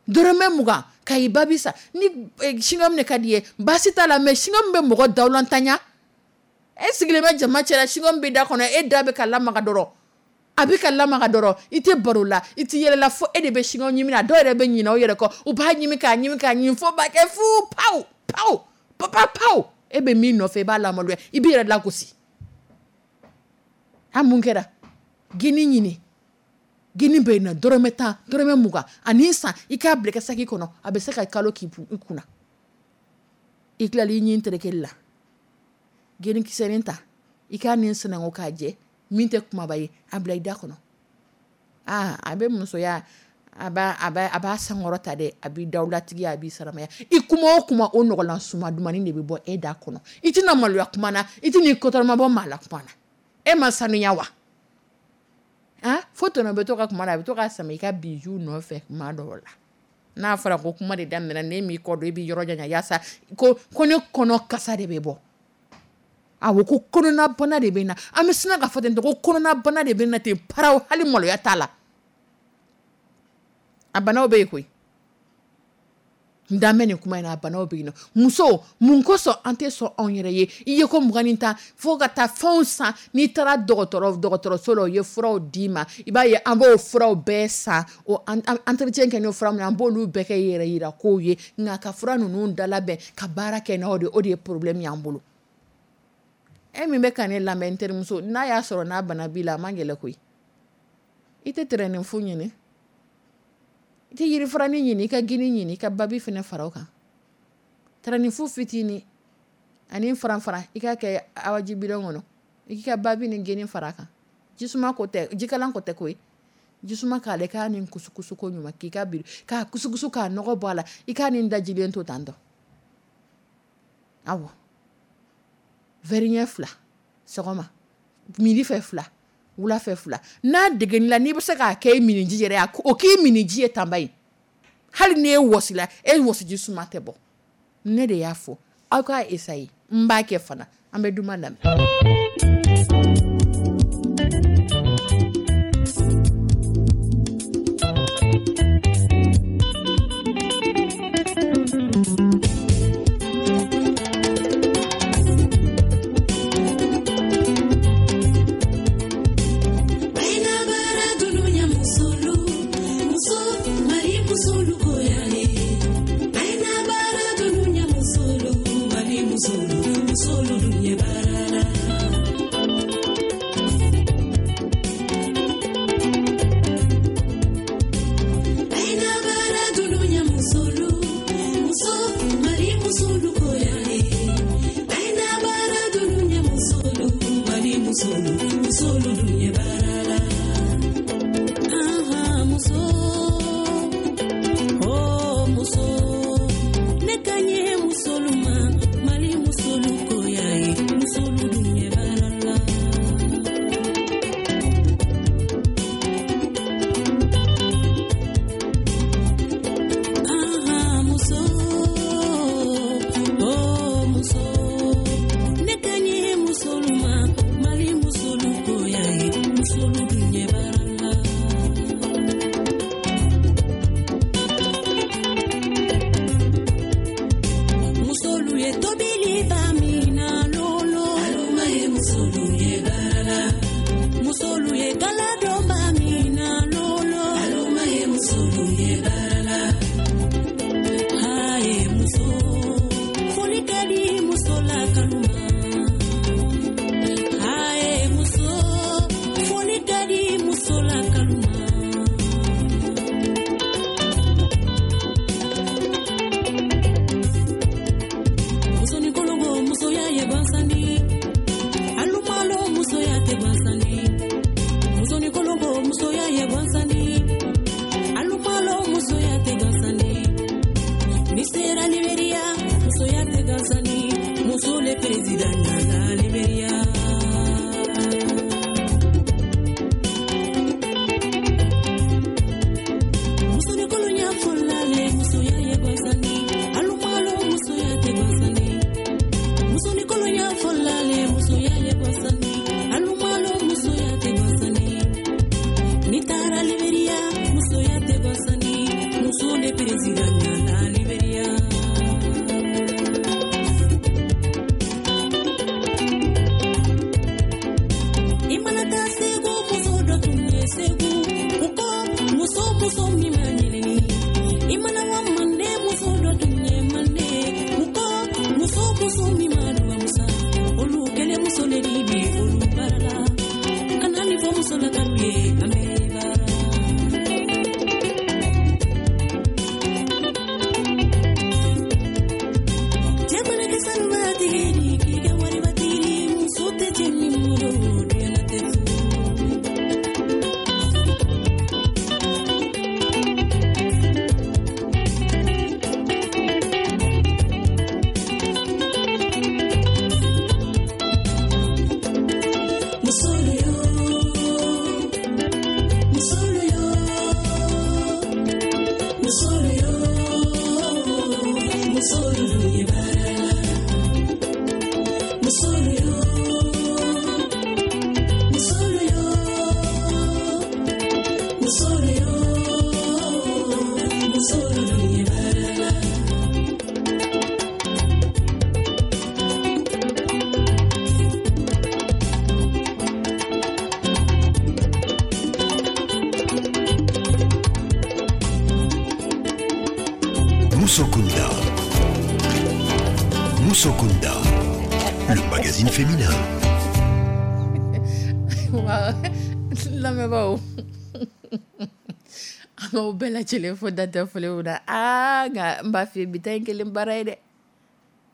[SPEAKER 2] dɔrɔmɛ mugan ka i babi sa? Ni chewing-gum de ka di i ye, baasi t'a la, mais chewing-gum bɛ mɔgɔ dawulantanya. E sigilen bɛ jama cɛla, chewing-gum bɛ da kɔnɔ, e da bɛ ka lamaga dɔrɔn, a bɛ ka lamaga dɔrɔn, i tɛ baro la, i tɛ yɛlɛ la, fo e de bɛ chewing-gum ɲimi na. Dɔw yɛrɛ bɛ ɲinɛ u yɛrɛ kɔ, u b'a ɲimi k'a ɲimi k'a ɲimi fo b'a kɛ fu, pawu pawu papa pawu. E bɛ min nɔfɛ, i b'a lamaloya, i b'i yɛrɛ lagosi. A mun kɛra? Geni ɲini, geni bɛ yen nɔ, dɔrɔmɛ tan, dɔrɔmɛ mugan, ani san, i k'a bila i ka saki kɔnɔ, a bɛ se ka kalo k'i kunna. I tilali i ɲin terekeli la, geni kisɛnin ta, i k'a ni sanango k'a jɛ, min tɛ kumaba ye, a bila i da kɔnɔ. Aa, a bɛ musoya, a b'a a b'a a b'a sankɔrɔ ta dɛ, a b'i dawulatigiya, a b'i saramaya. I kuma o kuma, o nɔgɔlan suma dumannin de bɛ bɔ e da kɔnɔ. I tɛna maloya kuma na, i tɛn'i kɔtɔrɔma bɔ maa la kuma na. E ma sanuya wa? Ah, fo tɔnɔ bɛ to ka kuma na, a bɛ to ka sama i ka bijou nɔfɛ kuma dɔw la. N'a fɔra ko kuma de daminɛna, n'e m'i kɔ don, e b'i yɔrɔ janya yaasa ko ko ne kɔnɔ kasa de bɛ bɔ. Awɔ, ko kɔnɔnabana de bɛ n na. An bɛ sina ka fɔ ten, ko kɔnɔnabana de bɛ n na ten paraw, hali maloya t'a la. A banaw bɛ yen koyi. N dan bɛ nin kuma in na, a banaw bɛ yen nɔ. Muso, mun kosɔn an tɛ sɔn anw yɛrɛ ye? I ye ko mugan ni tan fo ka taa fɛnw san. N'i taara dɔgɔtɔrɔ dɔgɔtɔrɔso la, u ye furaw d'i ma, i b'a ye an b'o furaw bɛɛ san, o entretien kɛ n'o fura min, an b'olu bɛɛ kɛ yɛrɛ yira kow ye. Nka ka fura ninnu dalabɛn ka baara kɛ n'o de, o de ye problème y'an bolo. E min bɛ ka ne lamɛn, n terimuso, n'a y'a sɔrɔ n'a bana b'i la, a man gɛlɛn koyi. I tɛ tɛrɛnin fu ɲini, i tɛ yirifuranin ɲini, i ka gini ɲini, i ka babi fana fara o kan. Tɛrɛnin fu fitinin ani faran faran, i k'a kɛ awaji bidɔn kɔnɔ, i k'i ka babi ni gini fara a kan. Jisuma ko tɛ, jikalan ko tɛ koyi. Jisuma k'ale, k'a ni kusukusu ko ɲuman, k'i ka biri k'a kusukusu k'a nɔgɔ bɔ a la, i k'a ni dajilen to tan tɔ. Awɔ, verre ɲɛ fila sɔgɔma, midi fɛ fila, wula fɛ fila. N'a degeli la, n'i bɛ se k'a kɛ i miniji yɛrɛ ye, o k'i miniji ye tanba ye. Hali n'e wɔsila, e wɔsiji suma tɛ bɔ. Ne de y'a fɔ aw k'a essayer, n b'a kɛ fana. An bɛ duman lamɛn.
[SPEAKER 1] Musokunda. Musokunda, le magazine féminin.
[SPEAKER 2] Waaw, lamɛnbaaw, an b'aw bɛɛ lajɛlen fo dantɛ foli min na. Aa, nka n b'a f'i ye, bi ta in kelen baara ye dɛ.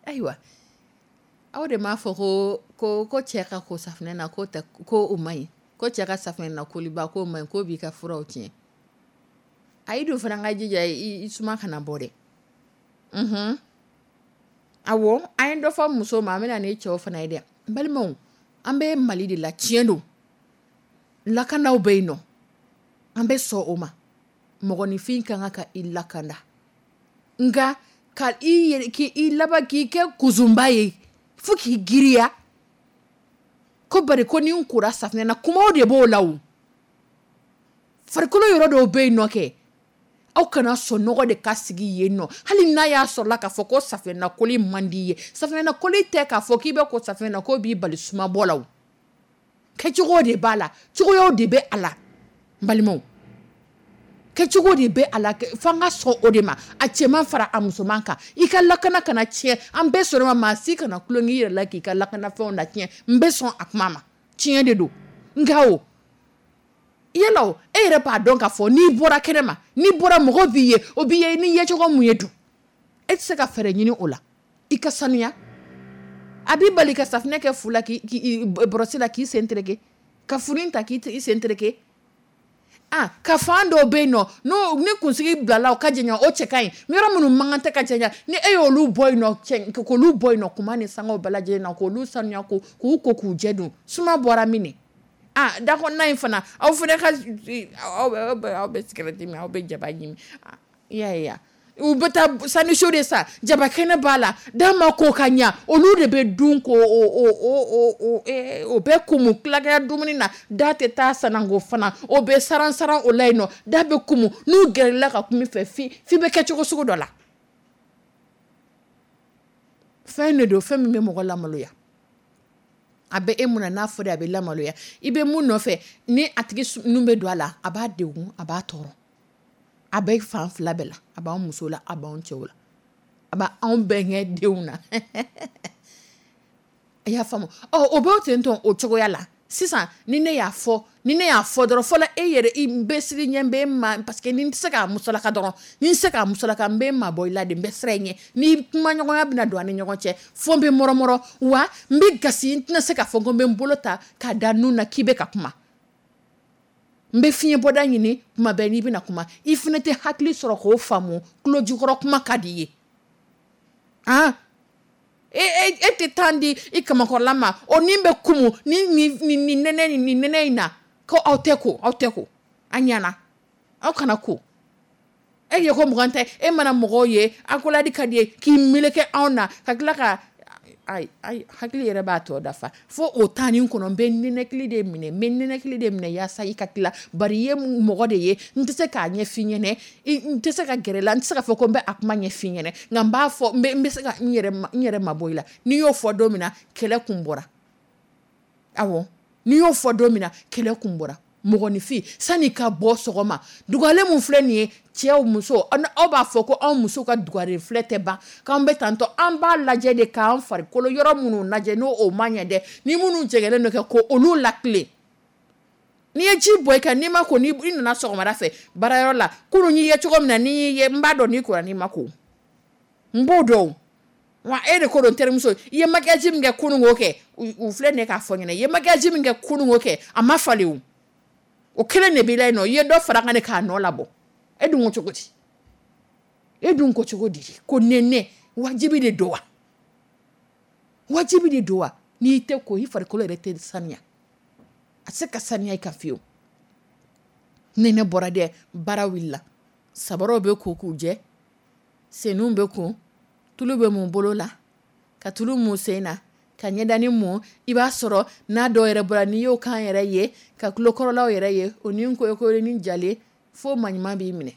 [SPEAKER 2] Ayiwa, aw de m'a fɔ ko ko ko cɛ ka ko safunɛ na, ko tɛ, ko o man ɲi, ko cɛ ka safunɛ na koliba k'o man ɲi, k'o b'i ka furaw tiɲɛ. A yi dun fana ka jija i suma kana bɔ dɛ. Unhun, awɔ, an ye dɔ fɔ muso ma, an bɛna ni cɛw fana ye dɛ. N balimaw, an bɛ Mali de la, tiɲɛ don, lakanaw bɛ yen nɔ, an bɛ sɔn o ma. Mɔgɔninfin ka kan ka i lakanda, nka ka i yɛrɛ k'i laban k'i kɛ kuzunba ye fo k'i giriya ko bari ko ni n kora safunɛ na, kumaw de b'o la. O farikolo yɔrɔ dɔw bɛ yen nɔ kɛ, aw kana sɔn nɔgɔ de ka sigi yen nɔ, hali n'a y'a sɔrɔla k'a fɔ ko safunɛnakoli man di ye. Safunɛnakoli tɛ k'a fɔ k'i bɛ ko safunɛ na k'o b'i bali sumabɔ la. O kɛcogo de b'a la, cogoyaw de bɛ a la. N balimaw, kɛcogo de bɛ a la, f'an ka sɔn o de ma, a cɛman fara a musoman kan. I ka lakana kana tiɲɛ, an bɛɛ sɔrɔ ma, maa si kana tulon k'i yɛrɛ la k'i ka lakanafɛnw na tiɲɛ. N bɛ sɔn a kuma ma, tiɲɛ de don. Nka o yala o, e yɛrɛ b'a dɔn k'a fɔ n'i bɔra kɛnɛ ma, n'i bɔra mɔgɔ b'i ye, o b'i ye ni yecogo mun ye dun, e tɛ se ka fɛɛrɛ ɲini o la i ka sanuya? A b'i bali ka safunɛ kɛ fu la, k'i bɔrɔsi la, k'i sen tereke, ka furu ta k'i sen tereke. Ah, ka fan dɔw bɛ yen nɔ, n'o ni kunsigi bilala o ka janya, o cɛ ka ɲi. Yɔrɔ minnu man kan tɛ ka janya, ni e y'olu bɔ yen nɔ, cɛ k'olu bɔ yen nɔ, kuma ni sangaw bɛɛ lajɛlen na, k'olu sanuya, ko k'u ko k'u jɛ dun, suma bɔra min de. Ah, da kɔnɔna in fana, aw fana ka aw bɛ aw bɛ sigɛrɛti min, aw bɛ jaba ɲimi, i y'a ye wa? U bɛ taa saniso de san, jaba kɛnɛ b'a la, d'a ma ko ka ɲa, olu de bɛ dun ko o o o o o bɛ kumu tilakɛ dumuni na, da tɛ taa sananko fana, o bɛ saran saran o la yen nɔ, da bɛ kumu. N'u gɛrɛla ka kuma i fɛ, fi fi bɛ kɛ cogo sugu dɔ la. Fɛn de don, fɛn min bɛ mɔgɔ lamaloya. A bɛ e mun na n'a fɔra a bɛ lamaloya, i bɛ mun nɔfɛ, ni a tigi nun bɛ don a la, a b'a degun, a b'a tɔɔrɔ. A bɛ fan fila bɛɛ la, a b'an muso la, a b'an cɛw la, a b'anw bɛnkɛ denw na. I y'a faamu? Ɔ, o b'o ten tɔn o cogoya la sisan. Ni ne y'a fɔ, ni ne y'a fɔ dɔrɔn fɔlɔ, e yɛrɛ i bɛ siri ɲɛ, n bɛ ma, parce que ni n tɛ se k'a musalaka dɔrɔn, ni n tɛ se k'a musalaka, n bɛ mabɔ i la de, n bɛ siran i ɲɛ. Ni kumaɲɔgɔnya bɛna don an ni ɲɔgɔn cɛ, fo n bɛ mɔrɔmɔrɔ, wa n bɛ gasi, n tɛna se k'a fɔ ko n bɛ n bolo ta k'a da nun na k'i bɛ ka kuma. N bɛ fiɲɛ bɔda ɲini kuma bɛɛ n'i bɛna kuma. I fana tɛ hakili sɔrɔ k'o faamu, tulo jukɔrɔ kuma ka di i ye. Ah, e e e tɛ temps di i kamakɔrɔla ma, o ni bɛ kumu ni ni ni nɛnɛ ni nɛnɛ in na, ko aw tɛ ko, aw tɛ ko, a ɲɛna, aw kana ko. E ye ko mugan tɛ, e mana mɔgɔw ye, accolade ka di ye k'i meleke anw na, ka tila ka ayi ayi, hakili yɛrɛ b'a tɔ dafa. Fo o temps nin kɔnɔ, n bɛ nɛnɛkili de minɛ, n bɛ nɛnɛkili de minɛ yaasa i ka tila. Bari i ye mɔgɔ de ye, n tɛ se k'a ɲɛf'i ɲɛnɛ, n tɛ se ka gɛrɛ i la, n tɛ se k'a fɔ ko n bɛ a kuma ɲɛf'i ɲɛnɛ, nka n b'a fɔ, n bɛ n bɛ se ka n yɛrɛ n yɛrɛ mabɔ i la. N'i y'o fɔ don min na, kɛlɛ kun bɔra. Awɔ, n'i y'o fɔ don min na, kɛlɛ kun bɔra. Mɔgɔninfin, sanni ka bɔ sɔgɔma, dugalen mun filɛ nin ye, cɛw, muso, aw b'a fɔ ko anw muso ka dugaren filɛ tɛ ban, k'an bɛ tantɔ, an b'a lajɛ de k'an farikolo yɔrɔ minnu lajɛ n'o o ma ɲɛ dɛ, ni minnu jɛgɛlen don kɛ, ko olu latilen. N'i ye ji bɔ i kan, n'i ma ko, n'i nana sɔgɔmada fɛ baarayɔrɔ la, kunun y'i ye cogo min na, n'i y'i ye, n b'a dɔn n'i kora n'i ma ko, n b'o dɔn. Wa e de ko don, terimuso, i ye maquillage min kɛ kunun k'o kɛ, u filɛ nin ye k'a fɔ n ɲɛna, i ye maquillage min kɛ kunun k'o kɛ, a ma falen o. O kelen de b'i la yen nɔ, i ye dɔ fara kan de k'a nɔ labɔ. E dun ko cogo di? E dun ko cogo di? Ko nɛnɛ wajibi de don wa? Wajibi de don wa? N'i tɛ ko, i farikolo yɛrɛ tɛ saniya. A tɛ se ka saniya i kan fiyewu. Nɛnɛ bɔra dɛ, baara wulila. Sabaraw bɛ ko k'u jɛ, senninw bɛ ko, tulu bɛ mun bolo la, ka tulu mun sen na, ka ɲɛdani mun. I b'a sɔrɔ n'a dɔw yɛrɛ bɔra, n'i y'o kan yɛrɛ ye, ka tulokɔrɔlaw yɛrɛ ye, o ni koyokoyo ni jalen, fo maɲuman b'i minɛ.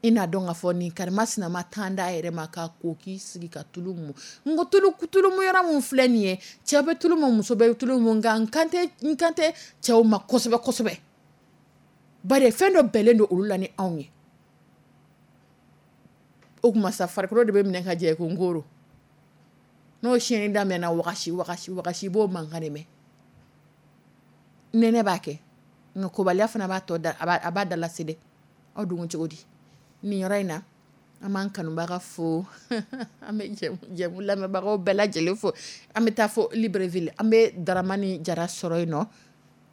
[SPEAKER 2] I n'a dɔn k'a fɔ nin karima sinama tan d'a yɛrɛ ma k'a ko k'i sigi ka tulu mun. N ko tulu tulu mun yɔrɔ mun filɛ nin ye, cɛ bɛ tulu mun, muso bɛ tulu mun, nka n kan tɛ n kan tɛ cɛw ma kosɛbɛ kosɛbɛ. Bari fɛn dɔ bɛnnen don olu la ni anw ye. O tuma sa, farikolo de bɛ minɛ ka jɛ ko n koro. N'o siyɛnni daminɛna, wagasi wagasi wagasi, i b'o mankan de mɛn. Nɛnɛ b'a kɛ, nka kobaliya fana b'a tɔ da, a b'a da lase dɛ. Aw dun cogo di nin yɔrɔ in na? An b'an kanubaga fo, an bɛ jɛmu lamɛnbagaw bɛɛ lajɛlen fo. An bɛ taa fo Libreville, an bɛ Daramani Jara sɔrɔ yen nɔ.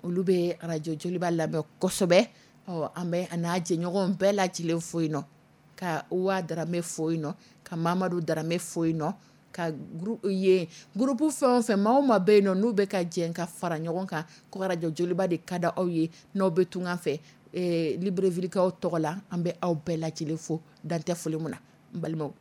[SPEAKER 2] Olu bɛ arajo Joliba lamɛn kosɛbɛ. Ɔ, an bɛ a n'a jɛɲɔgɔn bɛɛ lajɛlen fo yen nɔ, ka Uwa Darame fo yen nɔ, ka Mamadu Darame fo yen nɔ, ka yen groupe fɛn o fɛn, maa o maa bɛ yen nɔ n'u bɛ ka jɛ ka fara ɲɔgɔn kan ko arajo Joliba de ka di aw ye, n'aw bɛ tunga fɛ, Librevillekaw tɔgɔ la, an bɛ aw bɛɛ lajɛlen fo, dantɛ foli min na. N balimaw,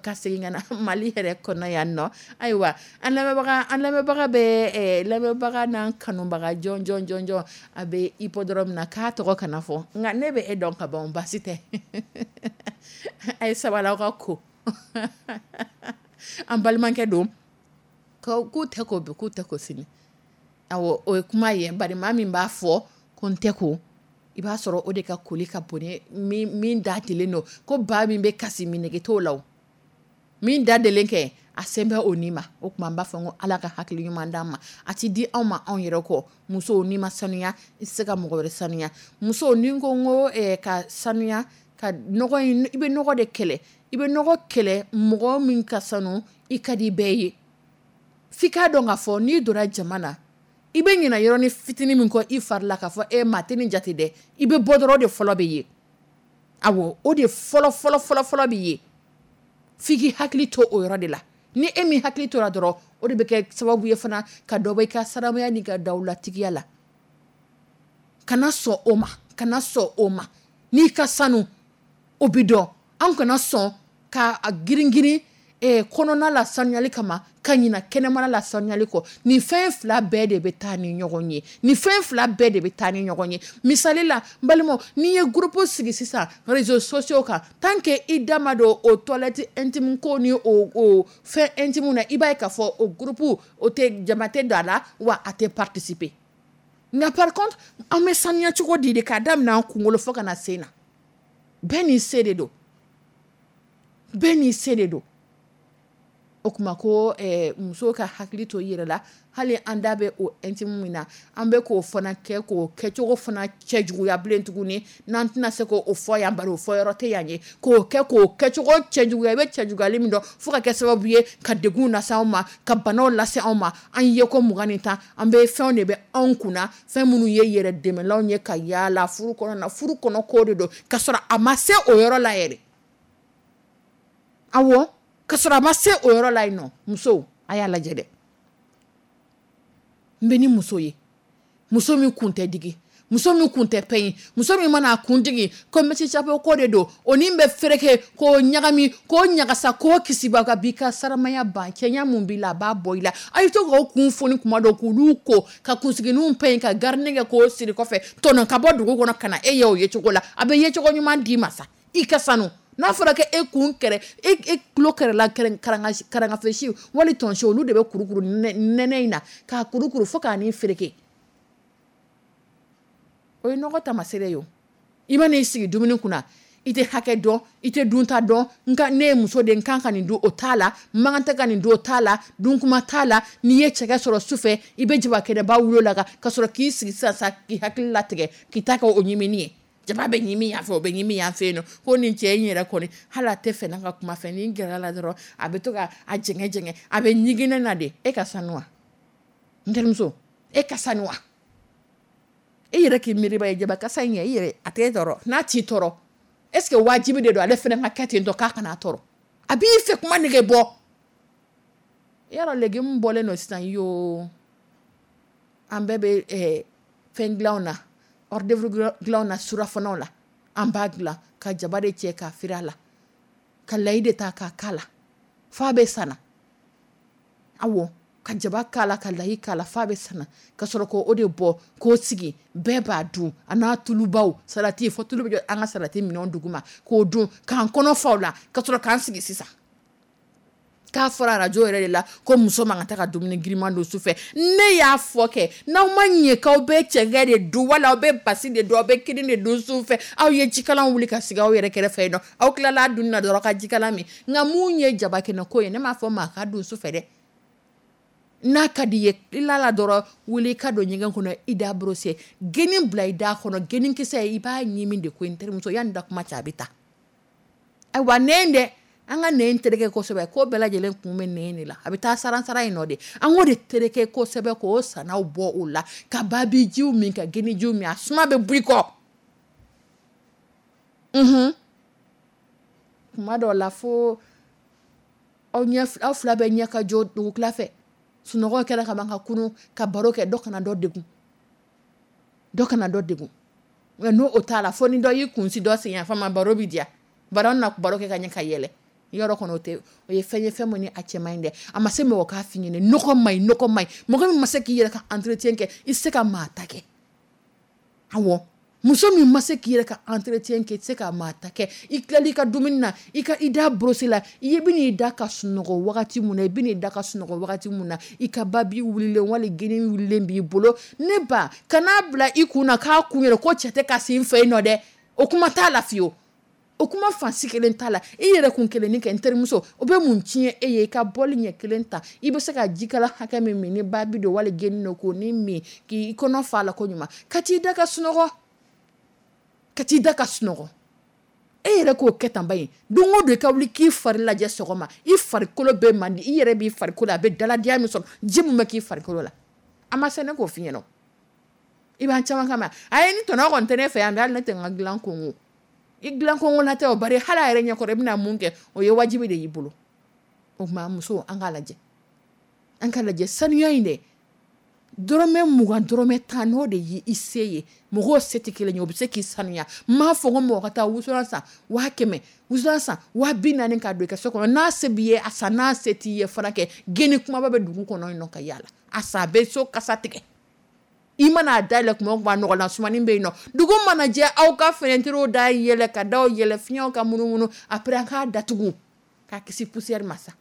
[SPEAKER 2] ka segin ka na Mali yɛrɛ kɔnɔ yan nɔ. Ayiwa, an lamɛnbaga an lamɛnbaga bɛ lamɛnbaga n'an kanubaga jɔn jɔn jɔn jɔn a bɛ hippodrome na, k'a tɔgɔ kana fɔ, nka ne bɛ e dɔn ka ban, baasi tɛ. A ye sabali, aw ka ko an balimakɛ don, k'u tɛ ko bi, k'u tɛ ko sini. Awɔ, o ye kuma ye. Bari maa min b'a fɔ ko n tɛ ko, i b'a sɔrɔ o de ka koli ka bon ni min da delen don. Ko ba min bɛ kasi, minɛgɛ t'o la, min da delen kɛ a sen bɛ o ni ma. O tuma an b'a fɔ ko Ala ka hakili ɲuman d'an ma. A ti di anw ma anw yɛrɛ kɔ. Musow, n'i ma sanuya, i tɛ se ka mɔgɔ wɛrɛ sanuya. Musow, ni ko n ko ka sanuya, ka nɔgɔ in, i bɛ nɔgɔ de kɛlɛ, i bɛ nɔgɔ kɛlɛ. Mɔgɔ min ka sanu, i ka di bɛɛ ye. F'i k'a dɔn k'a fɔ n'i donna jama na, i bɛ ɲinɛ yɔrɔnin fitinin min kɔ i fari la, k'a fɔ e maa tɛ nin jate dɛ, i bɛ bɔ dɔrɔn, o de fɔlɔ bɛ ye. Awɔ, o de fɔlɔ fɔlɔ fɔlɔ fɔlɔ bɛ ye. F'i k'i hakili to o yɔrɔ de la. Ni e min hakili tora dɔrɔn, o de bɛ kɛ sababu ye fana ka dɔ bɔ i ka saramaya n'i ka dawulatigiya la. Kana sɔn o ma, kana sɔn o ma. N'i ka sanu, o bɛ dɔn. An kana sɔn ka girin girin kɔnɔna la sanuyali kama ka ɲina kɛnɛmana la sanuyali kɔ. Nin fɛn fila bɛɛ de bɛ taa ni ɲɔgɔn ye, nin fɛn fila bɛɛ de bɛ taa ni ɲɔgɔn ye. Misali la, n balimaw, n'i ye groupe sigi sisan réseaux sociaux kan, tant que i da ma don o toilette intime ko ni o o fɛn intime na, i b'a ye k'a fɔ o groupe o tɛ jama tɛ don a la, wa a tɛ participer. Nka par contre, an bɛ sanuya cogo di de, k'a daminɛ an kunkolo fo ka na sen na? Bɛɛ n'i se de don, bɛɛ n'i se de don. O tuma ko muso ka hakili to i yɛrɛ la. Hali an da bɛ o intime min na, an bɛ k'o fana kɛ k'o kɛcogo fana cɛ juguya bilen tuguni, n'an tɛna se k'o fɔ yan, bari o fɔ yɔrɔ tɛ yan ye, k'o kɛ k'o kɛcogo cɛ juguya. I bɛ cɛ juguyali min dɔn, fo ka kɛ sababu ye ka degun lase anw ma, ka banaw lase anw ma. An ye ko mugan ni tan, an bɛ fɛnw de bɛ anw kunna, fɛn minnu ye yɛrɛ dɛmɛlanw ye ka yaala furu kɔnɔ na. Furu kɔnɔ ko de don, ka sɔrɔ a ma se o yɔrɔ la yɛrɛ. Awɔ, ka sɔrɔ a ma se o yɔrɔ la yen nɔ. Musow, a y'a lajɛ dɛ. N bɛ ni muso ye, muso min kun tɛ digi, muso min kun tɛ pɛɲi, muso min mana a kun digi ko mesi chapeau ko de don, o ni bɛ fereke k'o ɲagami, k'o ɲagasa, k'o kisiba ka b'i ka saramaya ban. Cɛɲa mun b'i la, a b'a bɔ i la. A ye to k'o kun foni kuma dɔ, k'olu ko ka kunsigininw pɛɲi, ka garinin kɛ k'o siri kɔfɛ, tɔnɔ ka bɔ dugu kɔnɔ ka na e ye o yecogo la, a bɛ yecogo ɲuman d'i ma sa. I ka sanu, n'a fɔra ko e kun kɛrɛ, e e tulo kɛrɛla karangafesi wali tɔnsi, olu de bɛ kurukuru nɛnɛ in na k'a kurukuru fo k'a ni fereke, o ye nɔgɔ taamasere ye. O i mana i sigi dumuni kunna, i tɛ hakɛ dɔn, i tɛ dunta dɔn. Nka ne ye muso de, n kan ka nin dun, o t'a la. N man kan tɛ ka nin dun, o t'a la. Dunkuma t'a la. N'i ye cɛkɛ sɔrɔ su fɛ, i bɛ jaba kɛnɛba wolo la ka sɔrɔ k'i sigi sisan sa, k'i hakili latigɛ k'i ta kɛ o ɲimini ye. Jaba bɛ ɲimi yan fɛ, o bɛ ɲimi yan fɛ yen nɔ. Ko nin cɛ in yɛrɛ kɔni, hali a tɛ fɛ n'a ka kuma fɛ, ni n gɛrɛ la dɔrɔn, a bɛ to ka a jɛngɛ jɛngɛ, a bɛ ɲigin ne na de. E ka sanu wa, n terimuso? E ka sanu wa? E yɛrɛ k'i miiriba ye jaba kasa in ye, i yɛrɛ a t'e tɔɔrɔ? N'a t'i tɔɔrɔ, est ce que wajibi de don ale fana ka kɛ ten tɔ, k'a kana tɔɔrɔ? A b'i fɛ kuma nege bɔ. I y'a dɔn, légume bɔlen don sisan yoo, an bɛɛ bɛ fɛn dilanw na, hors d'œuvre dilanw na, surafanaw la, an b'a dilan ka jaba de cɛ k'a firi a la, ka layi de ta k'a k'a la f'a bɛ sana. Awɔ, ka jaba k'a la, ka layi k'a la f'a bɛ sana, ka sɔrɔ k'o de bɔ k'o sigi, bɛɛ b'a dun, a n'a tulubaw, salati fo tulu bɛ an ka salati minɛnw duguma, k'o dun k'an kɔnɔ fa o la, ka sɔrɔ k'an sigi sisan. K'a fɔra arajo yɛrɛ de la ko muso man ka taa ka dumuni giriman dun su fɛ. Ne y'a fɔ kɛ, n'aw ma ɲɛ k'aw bɛ cɛnkɛ de dun wala aw bɛ basi de dun, aw bɛ kini de dun su fɛ, aw ye jikalan wuli ka sigi aw yɛrɛ kɛrɛfɛ yen nɔ, aw tilala a dunni na dɔrɔn ka jikalan min. Nka mun ye jaba kɛnɛ ko ye, ne m'a fɔ maa ka dun su fɛ dɛ. N'a ka di ye, i la dɔrɔn wuli ka don ɲɛgɛn kɔnɔ, i da brosser, geni bila i da kɔnɔ, genikisɛ i b'a ɲimi de ko n terimuso, yanni da kuma cɛ a bɛ taa. Ayiwa nɛn dɛ, an ka nɛn tereke kosɛbɛ, ko bɛɛ lajɛlen kun bɛ nɛn de la, a bɛ taa saran saran in nɔ de. An k'o de tereke kosɛbɛ k'o sanaw bɔ o la, ka babijiw min, ka genijiw min, a suma bɛ bɔ i kɔ. Unhun, kuma dɔw la fo aw ɲɛ, aw fila bɛ ɲɛ ka jɔ dugukila fɛ, sunɔgɔ kɛra ka ban ka kunun ka baro kɛ, dɔ kana dɔ degun, dɔ kana dɔ degun. Nka n'o o t'a la, fo ni dɔ y'i kun si dɔ sen yan fama, baro bɛ diya, baro na baro kɛ ka ɲɛ ka yɛlɛ. Yɔrɔ kɔnɔ o tɛ, o ye fɛn ye fɛn min ni a cɛ man ɲi dɛ. A ma se mɔgɔ k'a f'i ɲɛna, nɔgɔ man ɲi, nɔgɔ man ɲi. Mɔgɔ min ma se k'i yɛrɛ ka entretien kɛ, i tɛ se ka maa ta kɛ. Awɔ, muso min ma se k'i yɛrɛ ka entretien kɛ, i tɛ se ka maa ta kɛ. I tilali i ka dumuni na, i ka i da brosser la, i bɛ n'i da ka sunɔgɔ wagati mun na, i bɛ n'i da ka sunɔgɔ wagati mun na, i ka babi wulilen wali geni wulilen b'i bolo. Ne ba, kan'a bila i kun na k'a kun yɛrɛ ko cɛ tɛ ka se n fɛ yen nɔ dɛ. O kuma t'a la fiyewu. O kuma fan si kelen t'a la. I yɛrɛ kun kelennin kɛ n terimuso, o bɛ mun tiɲɛ e ye? I ka bɔli ɲɛ kelen ta, i bɛ se ka jikala hakɛ min min ni babi don wali geni don k'o ni min k'i kɔnɔ fa la ko ɲuman, ka t'i da ka sunɔgɔ, ka t'i da ka sunɔgɔ. E yɛrɛ k'o kɛ tan ba ye, don o don i ka wuli k'i fari lajɛ sɔgɔma, i farikolo bɛ man di, i yɛrɛ b'i farikolo a bɛ daladiya min sɔrɔ, ji min bɛ k'i farikolo la, a ma se ne k'o f'i ɲɛna. I b'an caman kama, a ye ni tɔnɔ kɔni tɛ ne fɛ yan, hali ne tɛ n ka dilan kongo. I dilan kongo la tɛ o, bari hali a yɛrɛ ɲɛkɔrɔ i bɛna mun kɛ, o ye wajibi de y'i bolo. O tuma muso, an k'a lajɛ, an k'a lajɛ sanuya in dɛ, dɔrɔmɛ mugan dɔrɔmɛ tan n'o de ye i se ye, mɔgɔw se tɛ kelen ye, o bɛ se k'i sanuya. N m'a fɔ ko mɔgɔ ka taa wusulan san waa kɛmɛ, wusulan san waa bi naani k'a don i ka so kɔnɔ. N'a se b'i ye a san, n'a se t'i ye fana kɛ, geni kumaba bɛ dugu kɔnɔ yen nɔ ka yaala a san, a bɛ so kasa tigɛ. I mana dayɛlɛ kuma o kuma, nɔgɔlan sumani bɛ yen nɔ. Dugu mana jɛ, aw ka fenɛtiriw da yɛlɛ ka daw yɛlɛ, fiɲɛw ka munumunu, après an k'a datugu k'a kisi poussière ma sa.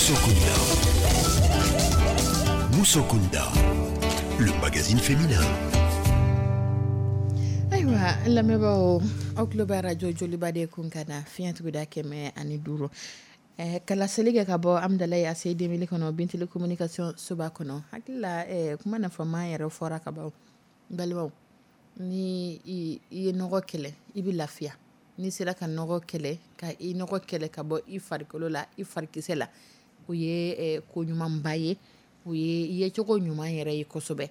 [SPEAKER 1] Musokunda. Musokunda, le magazine féminin.
[SPEAKER 2] Ayiwa, lamɛnbaaw, aw tulo bɛ arajo Joliba de kun ka na fiɲɛ tuguda kɛmɛ ani duuru eh, kalaseli kɛ ka bɔ Amidalayi A C deux mille kɔnɔ, Bintili communication soba kɔnɔ. Hakili la eh, kuma nafama yɛrɛ fɔra ka ban. N balimaw, ni i i ye nɔgɔ kɛlɛ, i bɛ lafiya. N'i sera ka nɔgɔ kɛlɛ, ka i nɔgɔ kɛlɛ ka bɔ i farikolo la, i farikisɛ la, o ye eh, ko ɲumanba ye, o ye yecogo ɲuman yɛrɛ ye kosɛbɛ.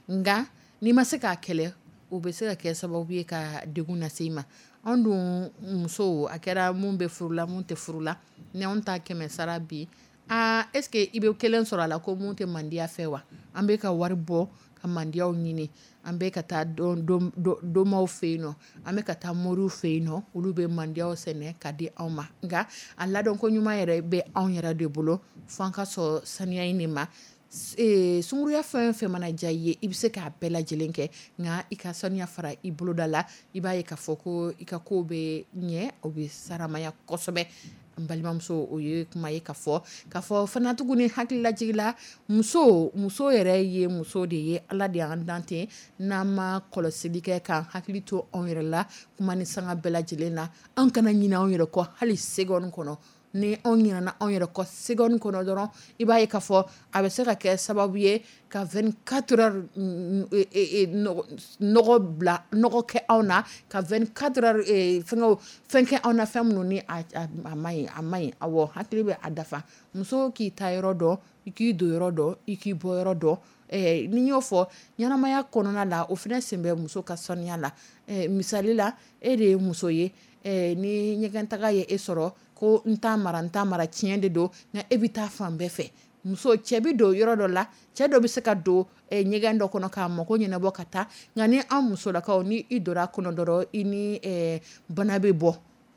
[SPEAKER 2] Nka n'i ma se k'a kɛlɛ, o bɛ se ka kɛ sababu ye ka degun lase i ma. Anw dun musow, a kɛra mun bɛ furu la, mun tɛ furu la, ni anw ta kɛmɛ sara bi, aa, est ce que i bɛ kelen sɔrɔ a la ko mun tɛ mandiya fɛ wa? An bɛ ka wari bɔ ka mandiyaw ɲini, an bɛ ka taa domaw fɛ yen nɔ, an bɛ ka taa moriw fɛ yen nɔ, olu bɛ mandiyaw sɛnɛ ka di anw ma. Nka a ladɔnko ɲuman yɛrɛ bɛ anw yɛrɛ de bolo, fo an ka sɔn saniya in de ma. Sunkuruya fɛn o fɛn mana diya i ye, i bɛ se k'a bɛɛ lajɛlen kɛ, nka i ka saniya fara i boloda la, i b'a ye k'a fɔ ko i ka ko bɛ ɲɛ, o bɛ saramaya kosɛbɛ. N balimamuso, o ye kuma ye ka fɔ k'a fɔ fana tuguni. Hakililajigila, muso muso yɛrɛ ye muso de ye, Ala de y'an dan ten. N'an ma kɔlɔsili kɛ k'an hakili to anw yɛrɛ la kuma ni sanga bɛɛ lajɛlen na, an kana ɲinɛ anw yɛrɛ kɔ hali seconde kɔnɔ. Ni anw ɲinɛna anw yɛrɛ kɔ seconde kɔnɔ dɔrɔn, i b'a ye k'a fɔ a bɛ se ka kɛ sababu ye ka vingt-quatre heures nɔgɔ bila, nɔgɔ kɛ anw na, ka vingt-quatre heures fɛngɛw fɛn kɛ anw na, fɛn minnu ni a ma ɲi, a ma ɲi. Awɔ, hakili bɛ a dafa. Muso k'i ta yɔrɔ dɔn, i k'i don yɔrɔ dɔn, i k'i bɔ yɔrɔ dɔn. Ni n y'o fɔ ɲɛnamaya kɔnɔna la, o fana sen bɛ muso ka saniya la. Misali la, e de ye muso ye, ni ɲɛgɛntaga ye e sɔrɔ ko n t'a mara, n t'a mara, tiɲɛ de don, nka e bɛ taa fan bɛɛ fɛ. Muso cɛ bɛ don yɔrɔ dɔ la, cɛ dɔ bɛ se ka don ɲɛgɛn dɔ kɔnɔ k'a mako ɲɛnabɔ ka taa, nka ni an musolakaw, ni i donna a kɔnɔ dɔrɔn, i ni bana bɛ bɔ,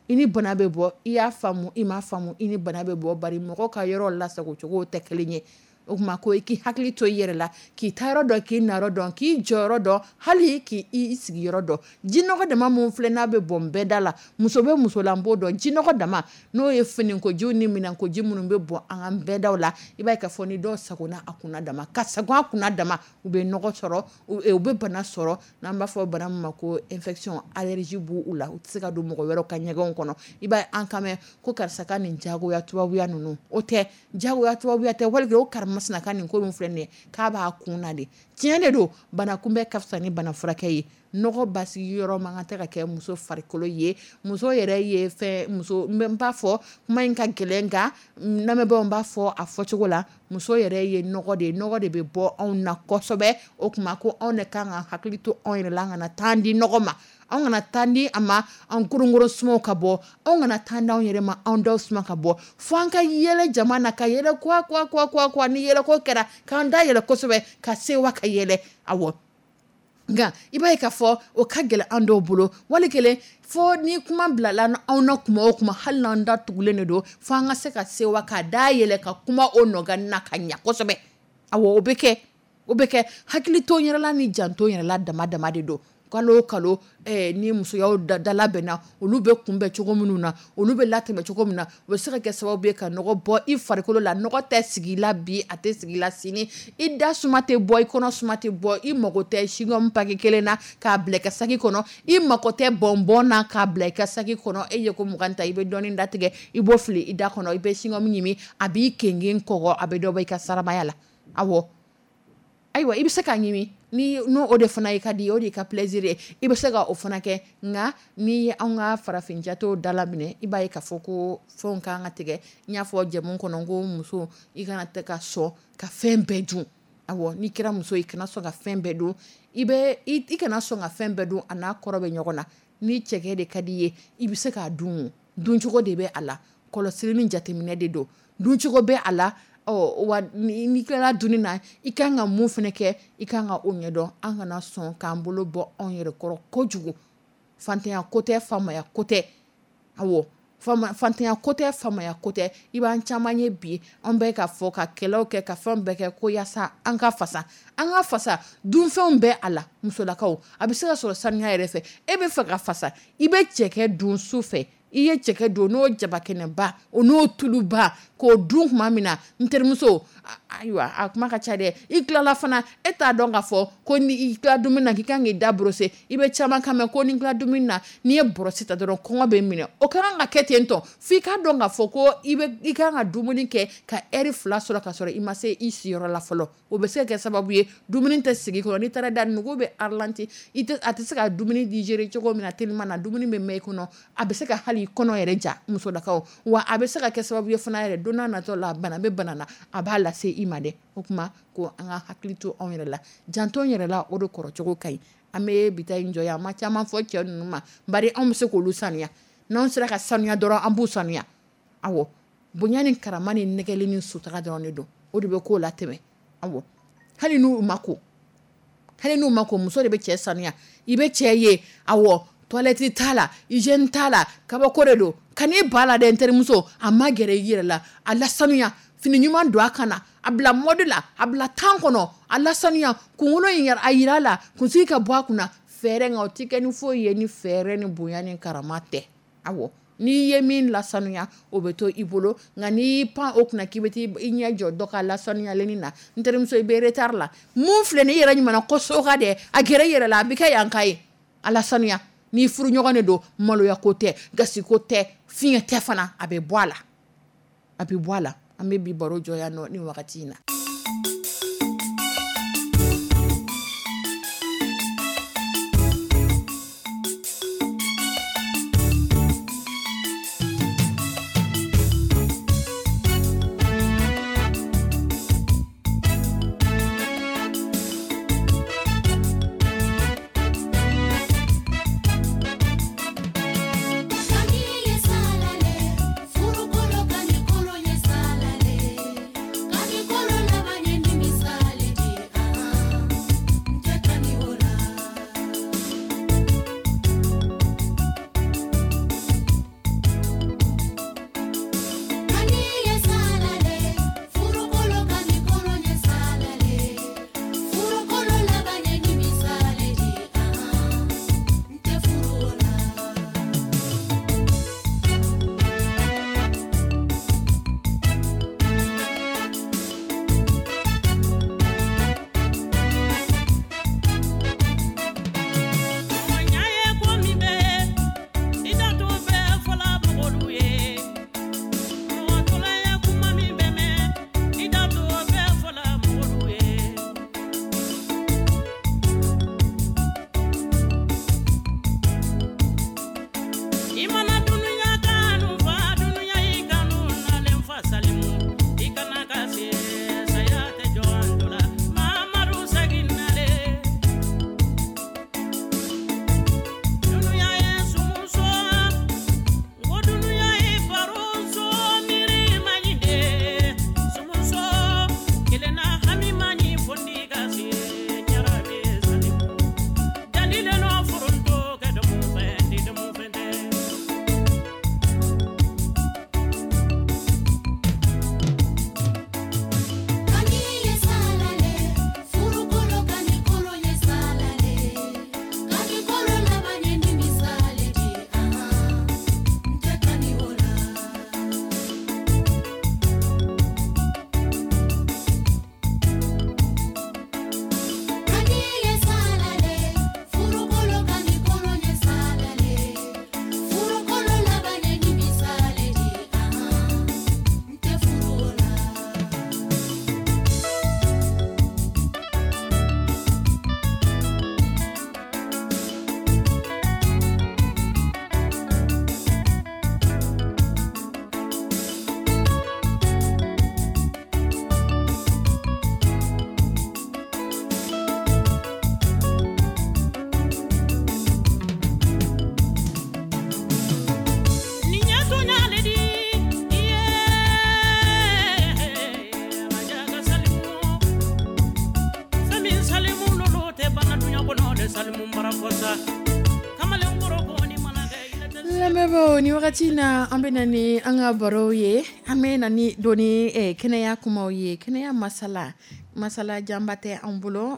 [SPEAKER 2] i ni bana bɛ bɔ. I y'a faamu, i m'a faamu, i ni bana bɛ bɔ, bari mɔgɔ ka yɔrɔ lasago cogo tɛ kelen ye. O tuma ko i k'i hakili to i yɛrɛ la, k'i ta yɔrɔ dɔn, k'i na yɔrɔ dɔn, k'i jɔyɔrɔ dɔn, hali k'i i sigiyɔrɔ dɔn. Jinɔgɔ dama mun filɛ, n'a bɛ bɔn bɛɛ da la, muso bɛ muso la, n b'o dɔn. Jinɔgɔ dama, n'o ye finikojiw ni minɛnkoji minnu bɛ bɔn an ka bɛɛdaw la, i b'a ye k'a fɔ ni dɔw sagona a kunna dama, ka sago a kunna dama, u bɛ nɔgɔ sɔrɔ, u bɛ bana sɔrɔ, n'an b'a fɔ bana min ma ko infection, allergie b'u la, u tɛ se ka don mɔgɔ wɛrɛw ka ɲɛgɛnw kɔnɔ. I b'a ye an kan mɛn ko karisa ka nin jagoya tubabuya ninnu, o tɛ jagoya tubabuya tɛ, wali o karimasina ka nin ko min filɛ nin ye, k'a b'a kun na de. Tiɲɛ de don, bana kunbɛn ka fisa ni bana furakɛ ye. Nɔgɔ basigi yɔrɔ man kan tɛ ka kɛ muso farikolo ye. Muso yɛrɛ ye fɛn, muso, n b'a fɔ kuma in ka gɛlɛn, nka lamɛnbaaw, n b'a fɔ a fɔcogo la, muso yɛrɛ ye nɔgɔ de ye, nɔgɔ de bɛ bɔ anw na kosɛbɛ. O tuma ko anw de kan ka hakili to anw yɛrɛ la, an kana taa di nɔgɔ ma, anw kana taa di a ma, an koronkoron sumaw ka bɔ, anw kana taa di anw yɛrɛ ma, anw daw suma ka bɔ, fo an ka yɛlɛ jama na, ka yɛlɛ kuwa kuwa kuwa kuwa kuwa. Ni yɛlɛko kɛra, k'an da yɛlɛ kosɛbɛ, ka sewa, ka yɛlɛ. Awɔ, nka i b'a ye k'a fɔ o ka gɛlɛn an dɔw bolo. Wali kelen fo ni kuma bilala anw na kuma o kuma, hali n'an da tugulen de don, fo an ka se ka sewa ka da yɛlɛ ka kuma o nɔgɔni na ka ɲɛ kosɛbɛ. Awɔ, o bɛ kɛ, o bɛ kɛ. Hakili to yɛrɛ la ni janto yɛrɛ la dama dama de don. Kalo o kalo eh, ni musoyaw da labɛnna, olu bɛ kunbɛn cogo minnu na, olu bɛ latɛmɛ cogo min na, o bɛ se ka kɛ sababu ye ka nɔgɔ bɔ i farikolo la. Nɔgɔ tɛ sigi la bi, a tɛ sigi la sini, i da suma tɛ bɔ, i kɔnɔ suma tɛ bɔ. I mago tɛ chewing-gum paquet kelen na k'a bila i ka saki kɔnɔ, i mago tɛ bonbon na k'a bila i ka saki kɔnɔ. E ye ko mugan ta, i bɛ dɔɔnin datigɛ, i b'o fili i da kɔnɔ, i bɛ chewing-gum ɲimi, a b'i kengen kɔgɔ, a bɛ dɔ bɔ i ka saramaya la. Awɔ, ayiwa, i bɛ se k'a ɲimi ni n'o o de fana ye ka di, o de ka plaisir ye, i bɛ se ka o fana kɛ. Nka n'i ye anw ka farafin jatew dalaminɛ, i b'a ye k'a fɔ ko fɛnw kan ka tigɛ. N y'a fɔ jɛmu kɔnɔ ko muso, i kana tɛ ka sɔn ka fɛn bɛɛ dun. Awɔ, n'i kɛra muso ye, i kana sɔn ka fɛn bɛɛ dun, i bɛ i kana sɔn ka fɛn bɛɛ dun, a n'a kɔrɔ bɛ ɲɔgɔn na. Ni cɛkɛ de ka di i ye, i bɛ se k'a dun, duncogo de bɛ a la, kɔlɔsili ni jateminɛ de don, duncogo bɛ a la. Ɔ wa, n'i tilala dunni na, i kan ka mun fana kɛ, i kan ka o ɲɛdɔn. An kana sɔn k'an bolo bɔ anw yɛrɛ kɔrɔ kojugu. Fantanya ko tɛ, faamaya ko tɛ. Awɔ, fantanya ko tɛ, faamaya ko tɛ. I b'an caman ye bi, an bɛ ka fɔ ka kɛlɛw kɛ, ka fɛn bɛɛ kɛ ko yaasa an ka fasa, an ka fasa. Dunfɛnw bɛ a la, musolakaw, a bɛ se ka sɔrɔ saniya yɛrɛ fɛ. E bɛ fɛ ka fasa, i bɛ cɛkɛ dun su fɛ. I ye cɛkɛ don n'o jabakɛnɛba o n'o tuluba k'o dun tuma min na, n terimuso, ayiwa a kuma ka ca dɛ. I tilala fana, e t'a dɔn k'a fɔ ko ni i tila dumuni na k'i kan k'i da brosser. I bɛ caman kan mɛn ko ni tila dumuni na, n'i ye brosse ta dɔrɔn kɔngɔ bɛ minɛ. O ka kan ka kɛ ten tɔ f'i k'a dɔn k'a fɔ ko i bɛ i kan ka dumuni kɛ ka heure fila sɔrɔ ka sɔrɔ i ma se i siyɔrɔ la fɔlɔ. O bɛ se ka kɛ sababu ye dumuni tɛ sigi kɔnɔ, n'i taara da nugu bɛ ralenti, i tɛ a tɛ se ka dumuni digérer cogo min na teliman na, dumuni bɛ mɛn i kɔnɔ, a bɛ se ka hali kɔnɔ yɛrɛ ja musolakaw. Wa a bɛ se ka kɛ sababu ye fana yɛrɛ, don n'a nataw la, bana bɛ bana na, a b'a lase i ma dɛ. O tuma ko an ka hakili to anw yɛrɛ la, janto n yɛrɛ la, o de kɔrɔcogo ka ɲi. An bɛ bi ta in jɔ yan, an ma caman fɔ cɛ ninnu ma, bari anw bɛ se k'olu saniya. N'anw sera ka sanuya dɔrɔn, an b'u sanuya. Awɔ, bonya ni karama ni nɛgɛli ni sutura dɔrɔn de don, o de bɛ k'o la tɛmɛ. Awɔ, hali n'u ma ko, hali n'u ma ko, muso de bɛ cɛ sanuya. I bɛ cɛ ye, awɔ, toilette t'a la, hygiène t'a la, kabako de don. Kan'i ba la dɛ n terimuso, a ma gɛrɛ i yɛrɛ la, a lasanuya, fini ɲuman don a kan na, a bila mode la, a bila temps kɔnɔ, a lasanuya, kunkolo in a yira la, kunsigi ka bɔ a kunna, fɛɛrɛ nka o tɛ kɛ ni foyi ye ni fɛɛrɛ ni bonya ni karama tɛ. Awɔ, n'i ye min lasanuya, o bɛ to i bolo, nka n'i y'i pan o kunna k'i bɛ t'i ɲɛ jɔ dɔ ka lasanuyalen na, n terimuso, i bɛ retard la. Mun filɛ nin ye, i yɛrɛ ɲuman ko so ka dɛ, a gɛrɛ i yɛrɛ la, a bɛ kɛ yan ka ye, a lasanuya. N'i furu ɲɔgɔn de don, maloya ko tɛ, gasi ko tɛ, fiɲɛ tɛ fana, a bɛ bɔ a la, a bɛ bɔ a la. An bɛ bi baro jɔ yan nɔ ni wagati in na. Lamɛnbaaw, ni wagati na an bɛ na ni an ka baro ye, an bɛ na ni doni kɛnɛya kumaw ye, kɛnɛya masala, masala janba tɛ an bolo.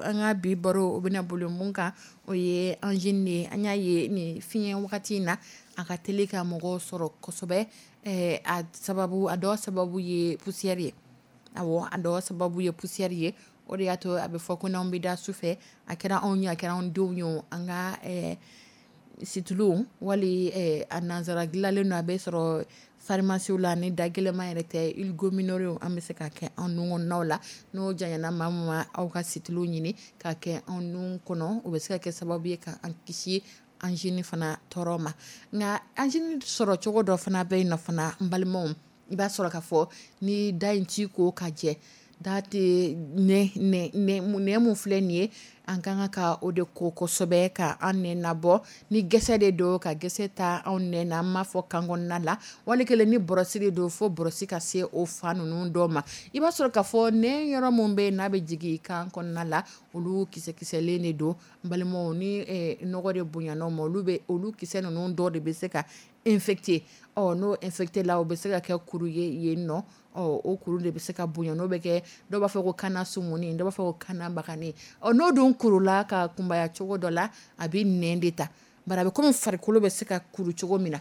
[SPEAKER 2] An ka bi baro o bɛna boli mun kan, o ye angine de ye. An y'a ye nin fiɲɛ wagati in na, A ka teli ka mɔgɔw sɔrɔ kosɛbɛ. A sababu, a dɔ sababu ye poussière ye. Awɔ, a dɔ sababu ye poussière ye. O de y'a to a bɛ fɔ ko n'anw bɛ da su fɛ, a kɛra anw ye, a kɛra anw denw ye, an ka situlu wali a nansara dilanlen don, a bɛ sɔrɔ pharmacie la, ni da gɛlɛnman yɛrɛ tɛ, huile gomineur an bɛ se ka kɛ an nun kɔnɔnaw la. N'o janyana maa min ma, aw ka situlu ɲini ka kɛ an nun kɔnɔ, o bɛ se ka kɛ sababu ye ka an kisi angine fana tɔɔrɔ ma. Nka angine sɔrɔ cogo dɔ fana bɛ yen nɔ fana, n balimaw, i b'a sɔrɔ k'a fɔ ni da in ci ko ka jɛ, da tɛ nɛ mun filɛ nin ye, an ka kan ka o de ko kosɛbɛ ka an nɛ nabɔ. Ni gɛsɛ de don, ka gɛsɛ ta anw nɛ na, an b'a fɔ kan kɔnɔna la, wali kelen ni bɔrɔsi de don, fo bɔrɔsi ka se o fa ninnu dɔ ma. I b'a sɔrɔ k'a fɔ nɛ yɔrɔ min bɛ yen n'a bɛ jigin kan kɔnɔna la, olu kisɛkisɛlen de don. N balimaw, ni nɔgɔ de bonyana o ma, olu bɛ olu kisɛ ninnu dɔ de bɛ se ka infecté. Ɔ n'o infecté la, o bɛ se ka kɛ kuru ye yen nɔ. Ɔ o kuru de bɛ se ka bonya, n'o bɛ kɛ, dɔw b'a fɔ ko kana sumuni, dɔw b'a fɔ ko kana bagani. Ɔ n'o dun kurula ka kunbaya cogo dɔ la, a bɛ nɛn de ta. Bari a bɛ komi farikolo bɛ se ka kuru cogo min na,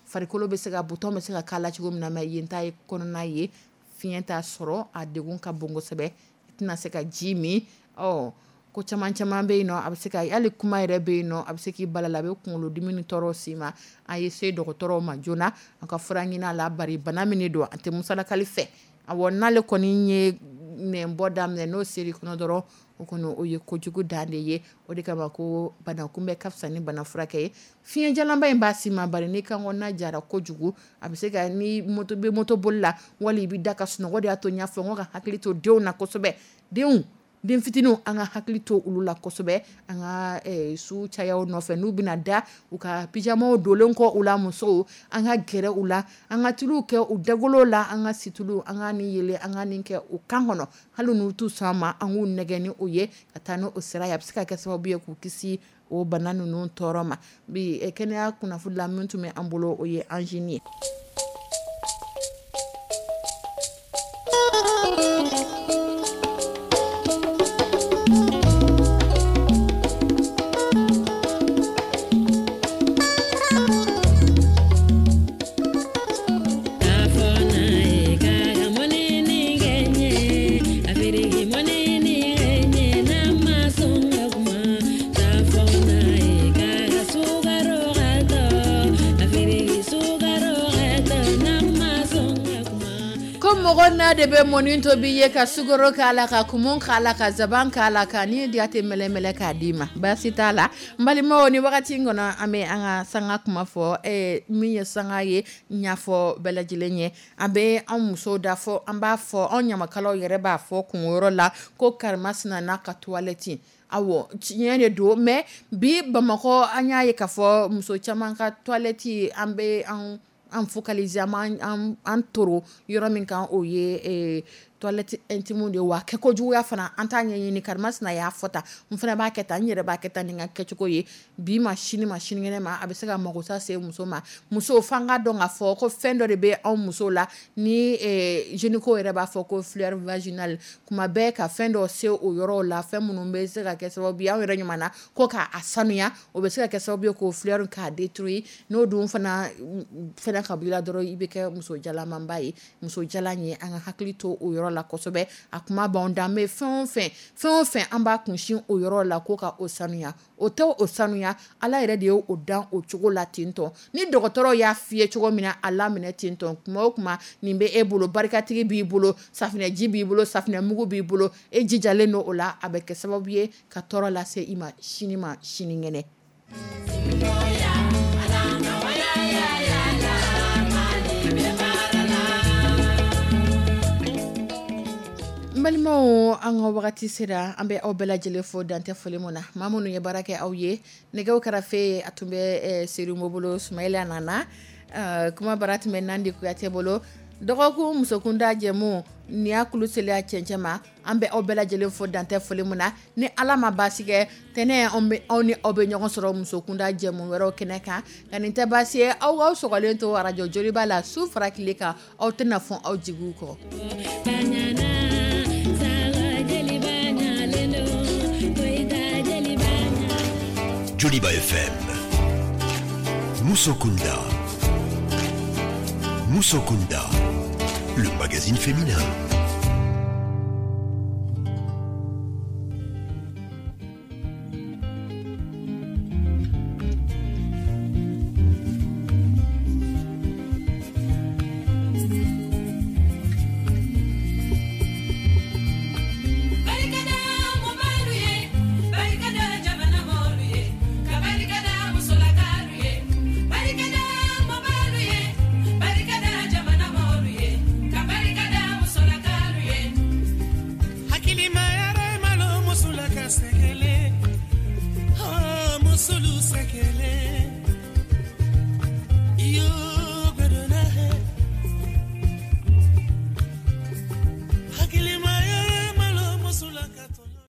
[SPEAKER 2] farikolo bɛ se ka bouton bɛ se ka k'a la cogo min na, mais yen ta ye kɔnɔna ye, fiɲɛ t'a sɔrɔ, a degun ka bon kosɛbɛ, i tɛna se ka ji min. Ɔ ko caman caman bɛ yen nɔ, a bɛ se ka hali kuma yɛrɛ bɛ yen nɔ, a bɛ se k'i bala la, a bɛ kunkolodimi ni tɔɔrɔ s'i ma. A ye se dɔgɔtɔrɔw ma joona, a ka fura ɲini a la, bari bana min don, a tɛ musalakali fɛ. Awɔ, n'ale kɔni ye nɛnbɔ daminɛ, n'o ser'i kɔnɔ dɔrɔn, o kɔni o ye kojugu dan de ye. O de kama ko bana kunbɛ ka fisa ni bana furakɛ ye. Fiɲɛjalanba in b'a si ma, bari ni kan kɔnɔna jara kojugu, a bɛ se ka ni moto bɛ moto boli la, wali i bɛ da ka sunɔgɔ. De y'a to n y'a fɔ n ko ka hakili to denw na kosɛbɛ. Denw, den fitininw, an ka hakili to olu la kosɛbɛ. An ka su cayaw nɔfɛ, n'u bɛna da, u ka pyjamaw donlen kɔ u la, musow, an ka gɛrɛ u la, an ka tuluw kɛ u dagolo la, an ka situlu, an ka nin yelen, an ka nin kɛ u kan kɔnɔ, hali n'u t'u sɔn a ma, an k'u nɛgɛ ni o ye ka taa n'o sira ye. A bɛ se ka kɛ sababu ye k'u kisi o bana ninnu tɔɔrɔ ma. Bi kɛnɛya kunnafoni la min tun bɛ an bolo, o ye angine ye. Mɔgɔ n'a de bɛ mɔni tobi ye, ka sukaro k'a la, ka kumu k'a la, ka zaban k'a la, ka ni diya tɛ mɛlɛmɛlɛ k'a d'i ma, baasi t'a la. N balimaw, ni wagati in kɔnɔ, an bɛ an ka sanga kuma fɔ. Min ye sanga ye, n y'a fɔ bɛɛ lajɛlen ye, an bɛ an musow da fɔ, an b'a fɔ anw ɲamakalaw yɛrɛ b'a fɔ kungoyɔrɔ la ko karimasina n'a ka toilette. Awɔ, tiɲɛ de don, mais bi Bamakɔ an y'a ye k'a fɔ muso caman ka toilette, an bɛ an an focaliser, an an toro yɔrɔ min kan, o ye toilette intime de ye. Wa kɛko juguya fana, an t'a ɲɛɲini. Karimasina y'a fɔ tan, n fana b'a kɛ tan, n yɛrɛ b'a kɛ tan, ni n ka kɛcogo ye. Bi ma sini ma sinikɛnɛ ma, a bɛ se ka magosa se muso ma. Muso f'an ka dɔn k'a fɔ ko fɛn dɔ de bɛ anw musow la, ni gynéco yɛrɛ b'a fɔ ko fleur vaginale. Kuma bɛɛ ka fɛn dɔ se o yɔrɔw la, fɛn minnu bɛ se ka kɛ sababu ye, anw yɛrɛ ɲuman na ko k'a sanuya, o bɛ se ka kɛ sababu ye k'o fleur k'a détruire. N'o dun fana fɛnɛ ka b'i la dɔrɔn, i bɛ kɛ muso jalamanba ye. Muso jalan ye, an ka hakili to o yɔrɔ la kosɛbɛ. A kuma b'anw da, mais fɛn o fɛn, fɛn o fɛn, an b'a kunsin o yɔrɔ la ko ka o sanuya. O tɛ o sanuya, Ala yɛrɛ de ye o dan o cogo la ten tɔ. Ni dɔgɔtɔrɔ y'a f'i ye cogo min na, a laminɛ ten tɔ. Kuma o kuma, nin bɛ e bolo, barikatigi b'i bolo, safunɛji b'i bolo, safunɛmugu b'i bolo, e jijalen don o la, a bɛ kɛ sababu ye ka tɔɔrɔ lase i ma sini ma sinikɛnɛ. N balimaw, an ka wagati sera, an bɛ aw bɛɛ lajɛlen fo dantɛ foli mun na. Maa minnu ye baara kɛ aw ye, nɛgɛw kɛrɛfɛ a tun bɛ Serimu bolo, Sumayila nana, kuma bara tun bɛ Nandi Kuyate bolo. Dɔgɔkun musokunda jɛmu nin y'a kulu seliya cɛncɛn ma. An bɛ aw bɛɛ lajɛlen fo dantɛ foli mun na. Ni Ala ma baasi kɛ, tɛnɛ anw bɛ aw ni aw bɛ ɲɔgɔn sɔrɔ musokunda jɛmu wɛrɛw kɛnɛ kan. Nka nin tɛ baasi ye, aw aw sɔgɔlen to arajo Joliba la su fara tile kan, aw tɛna fɔn aw jigiw kɔ.
[SPEAKER 1] Joliba F M. Musokunda. Musokunda, le magazine féminin.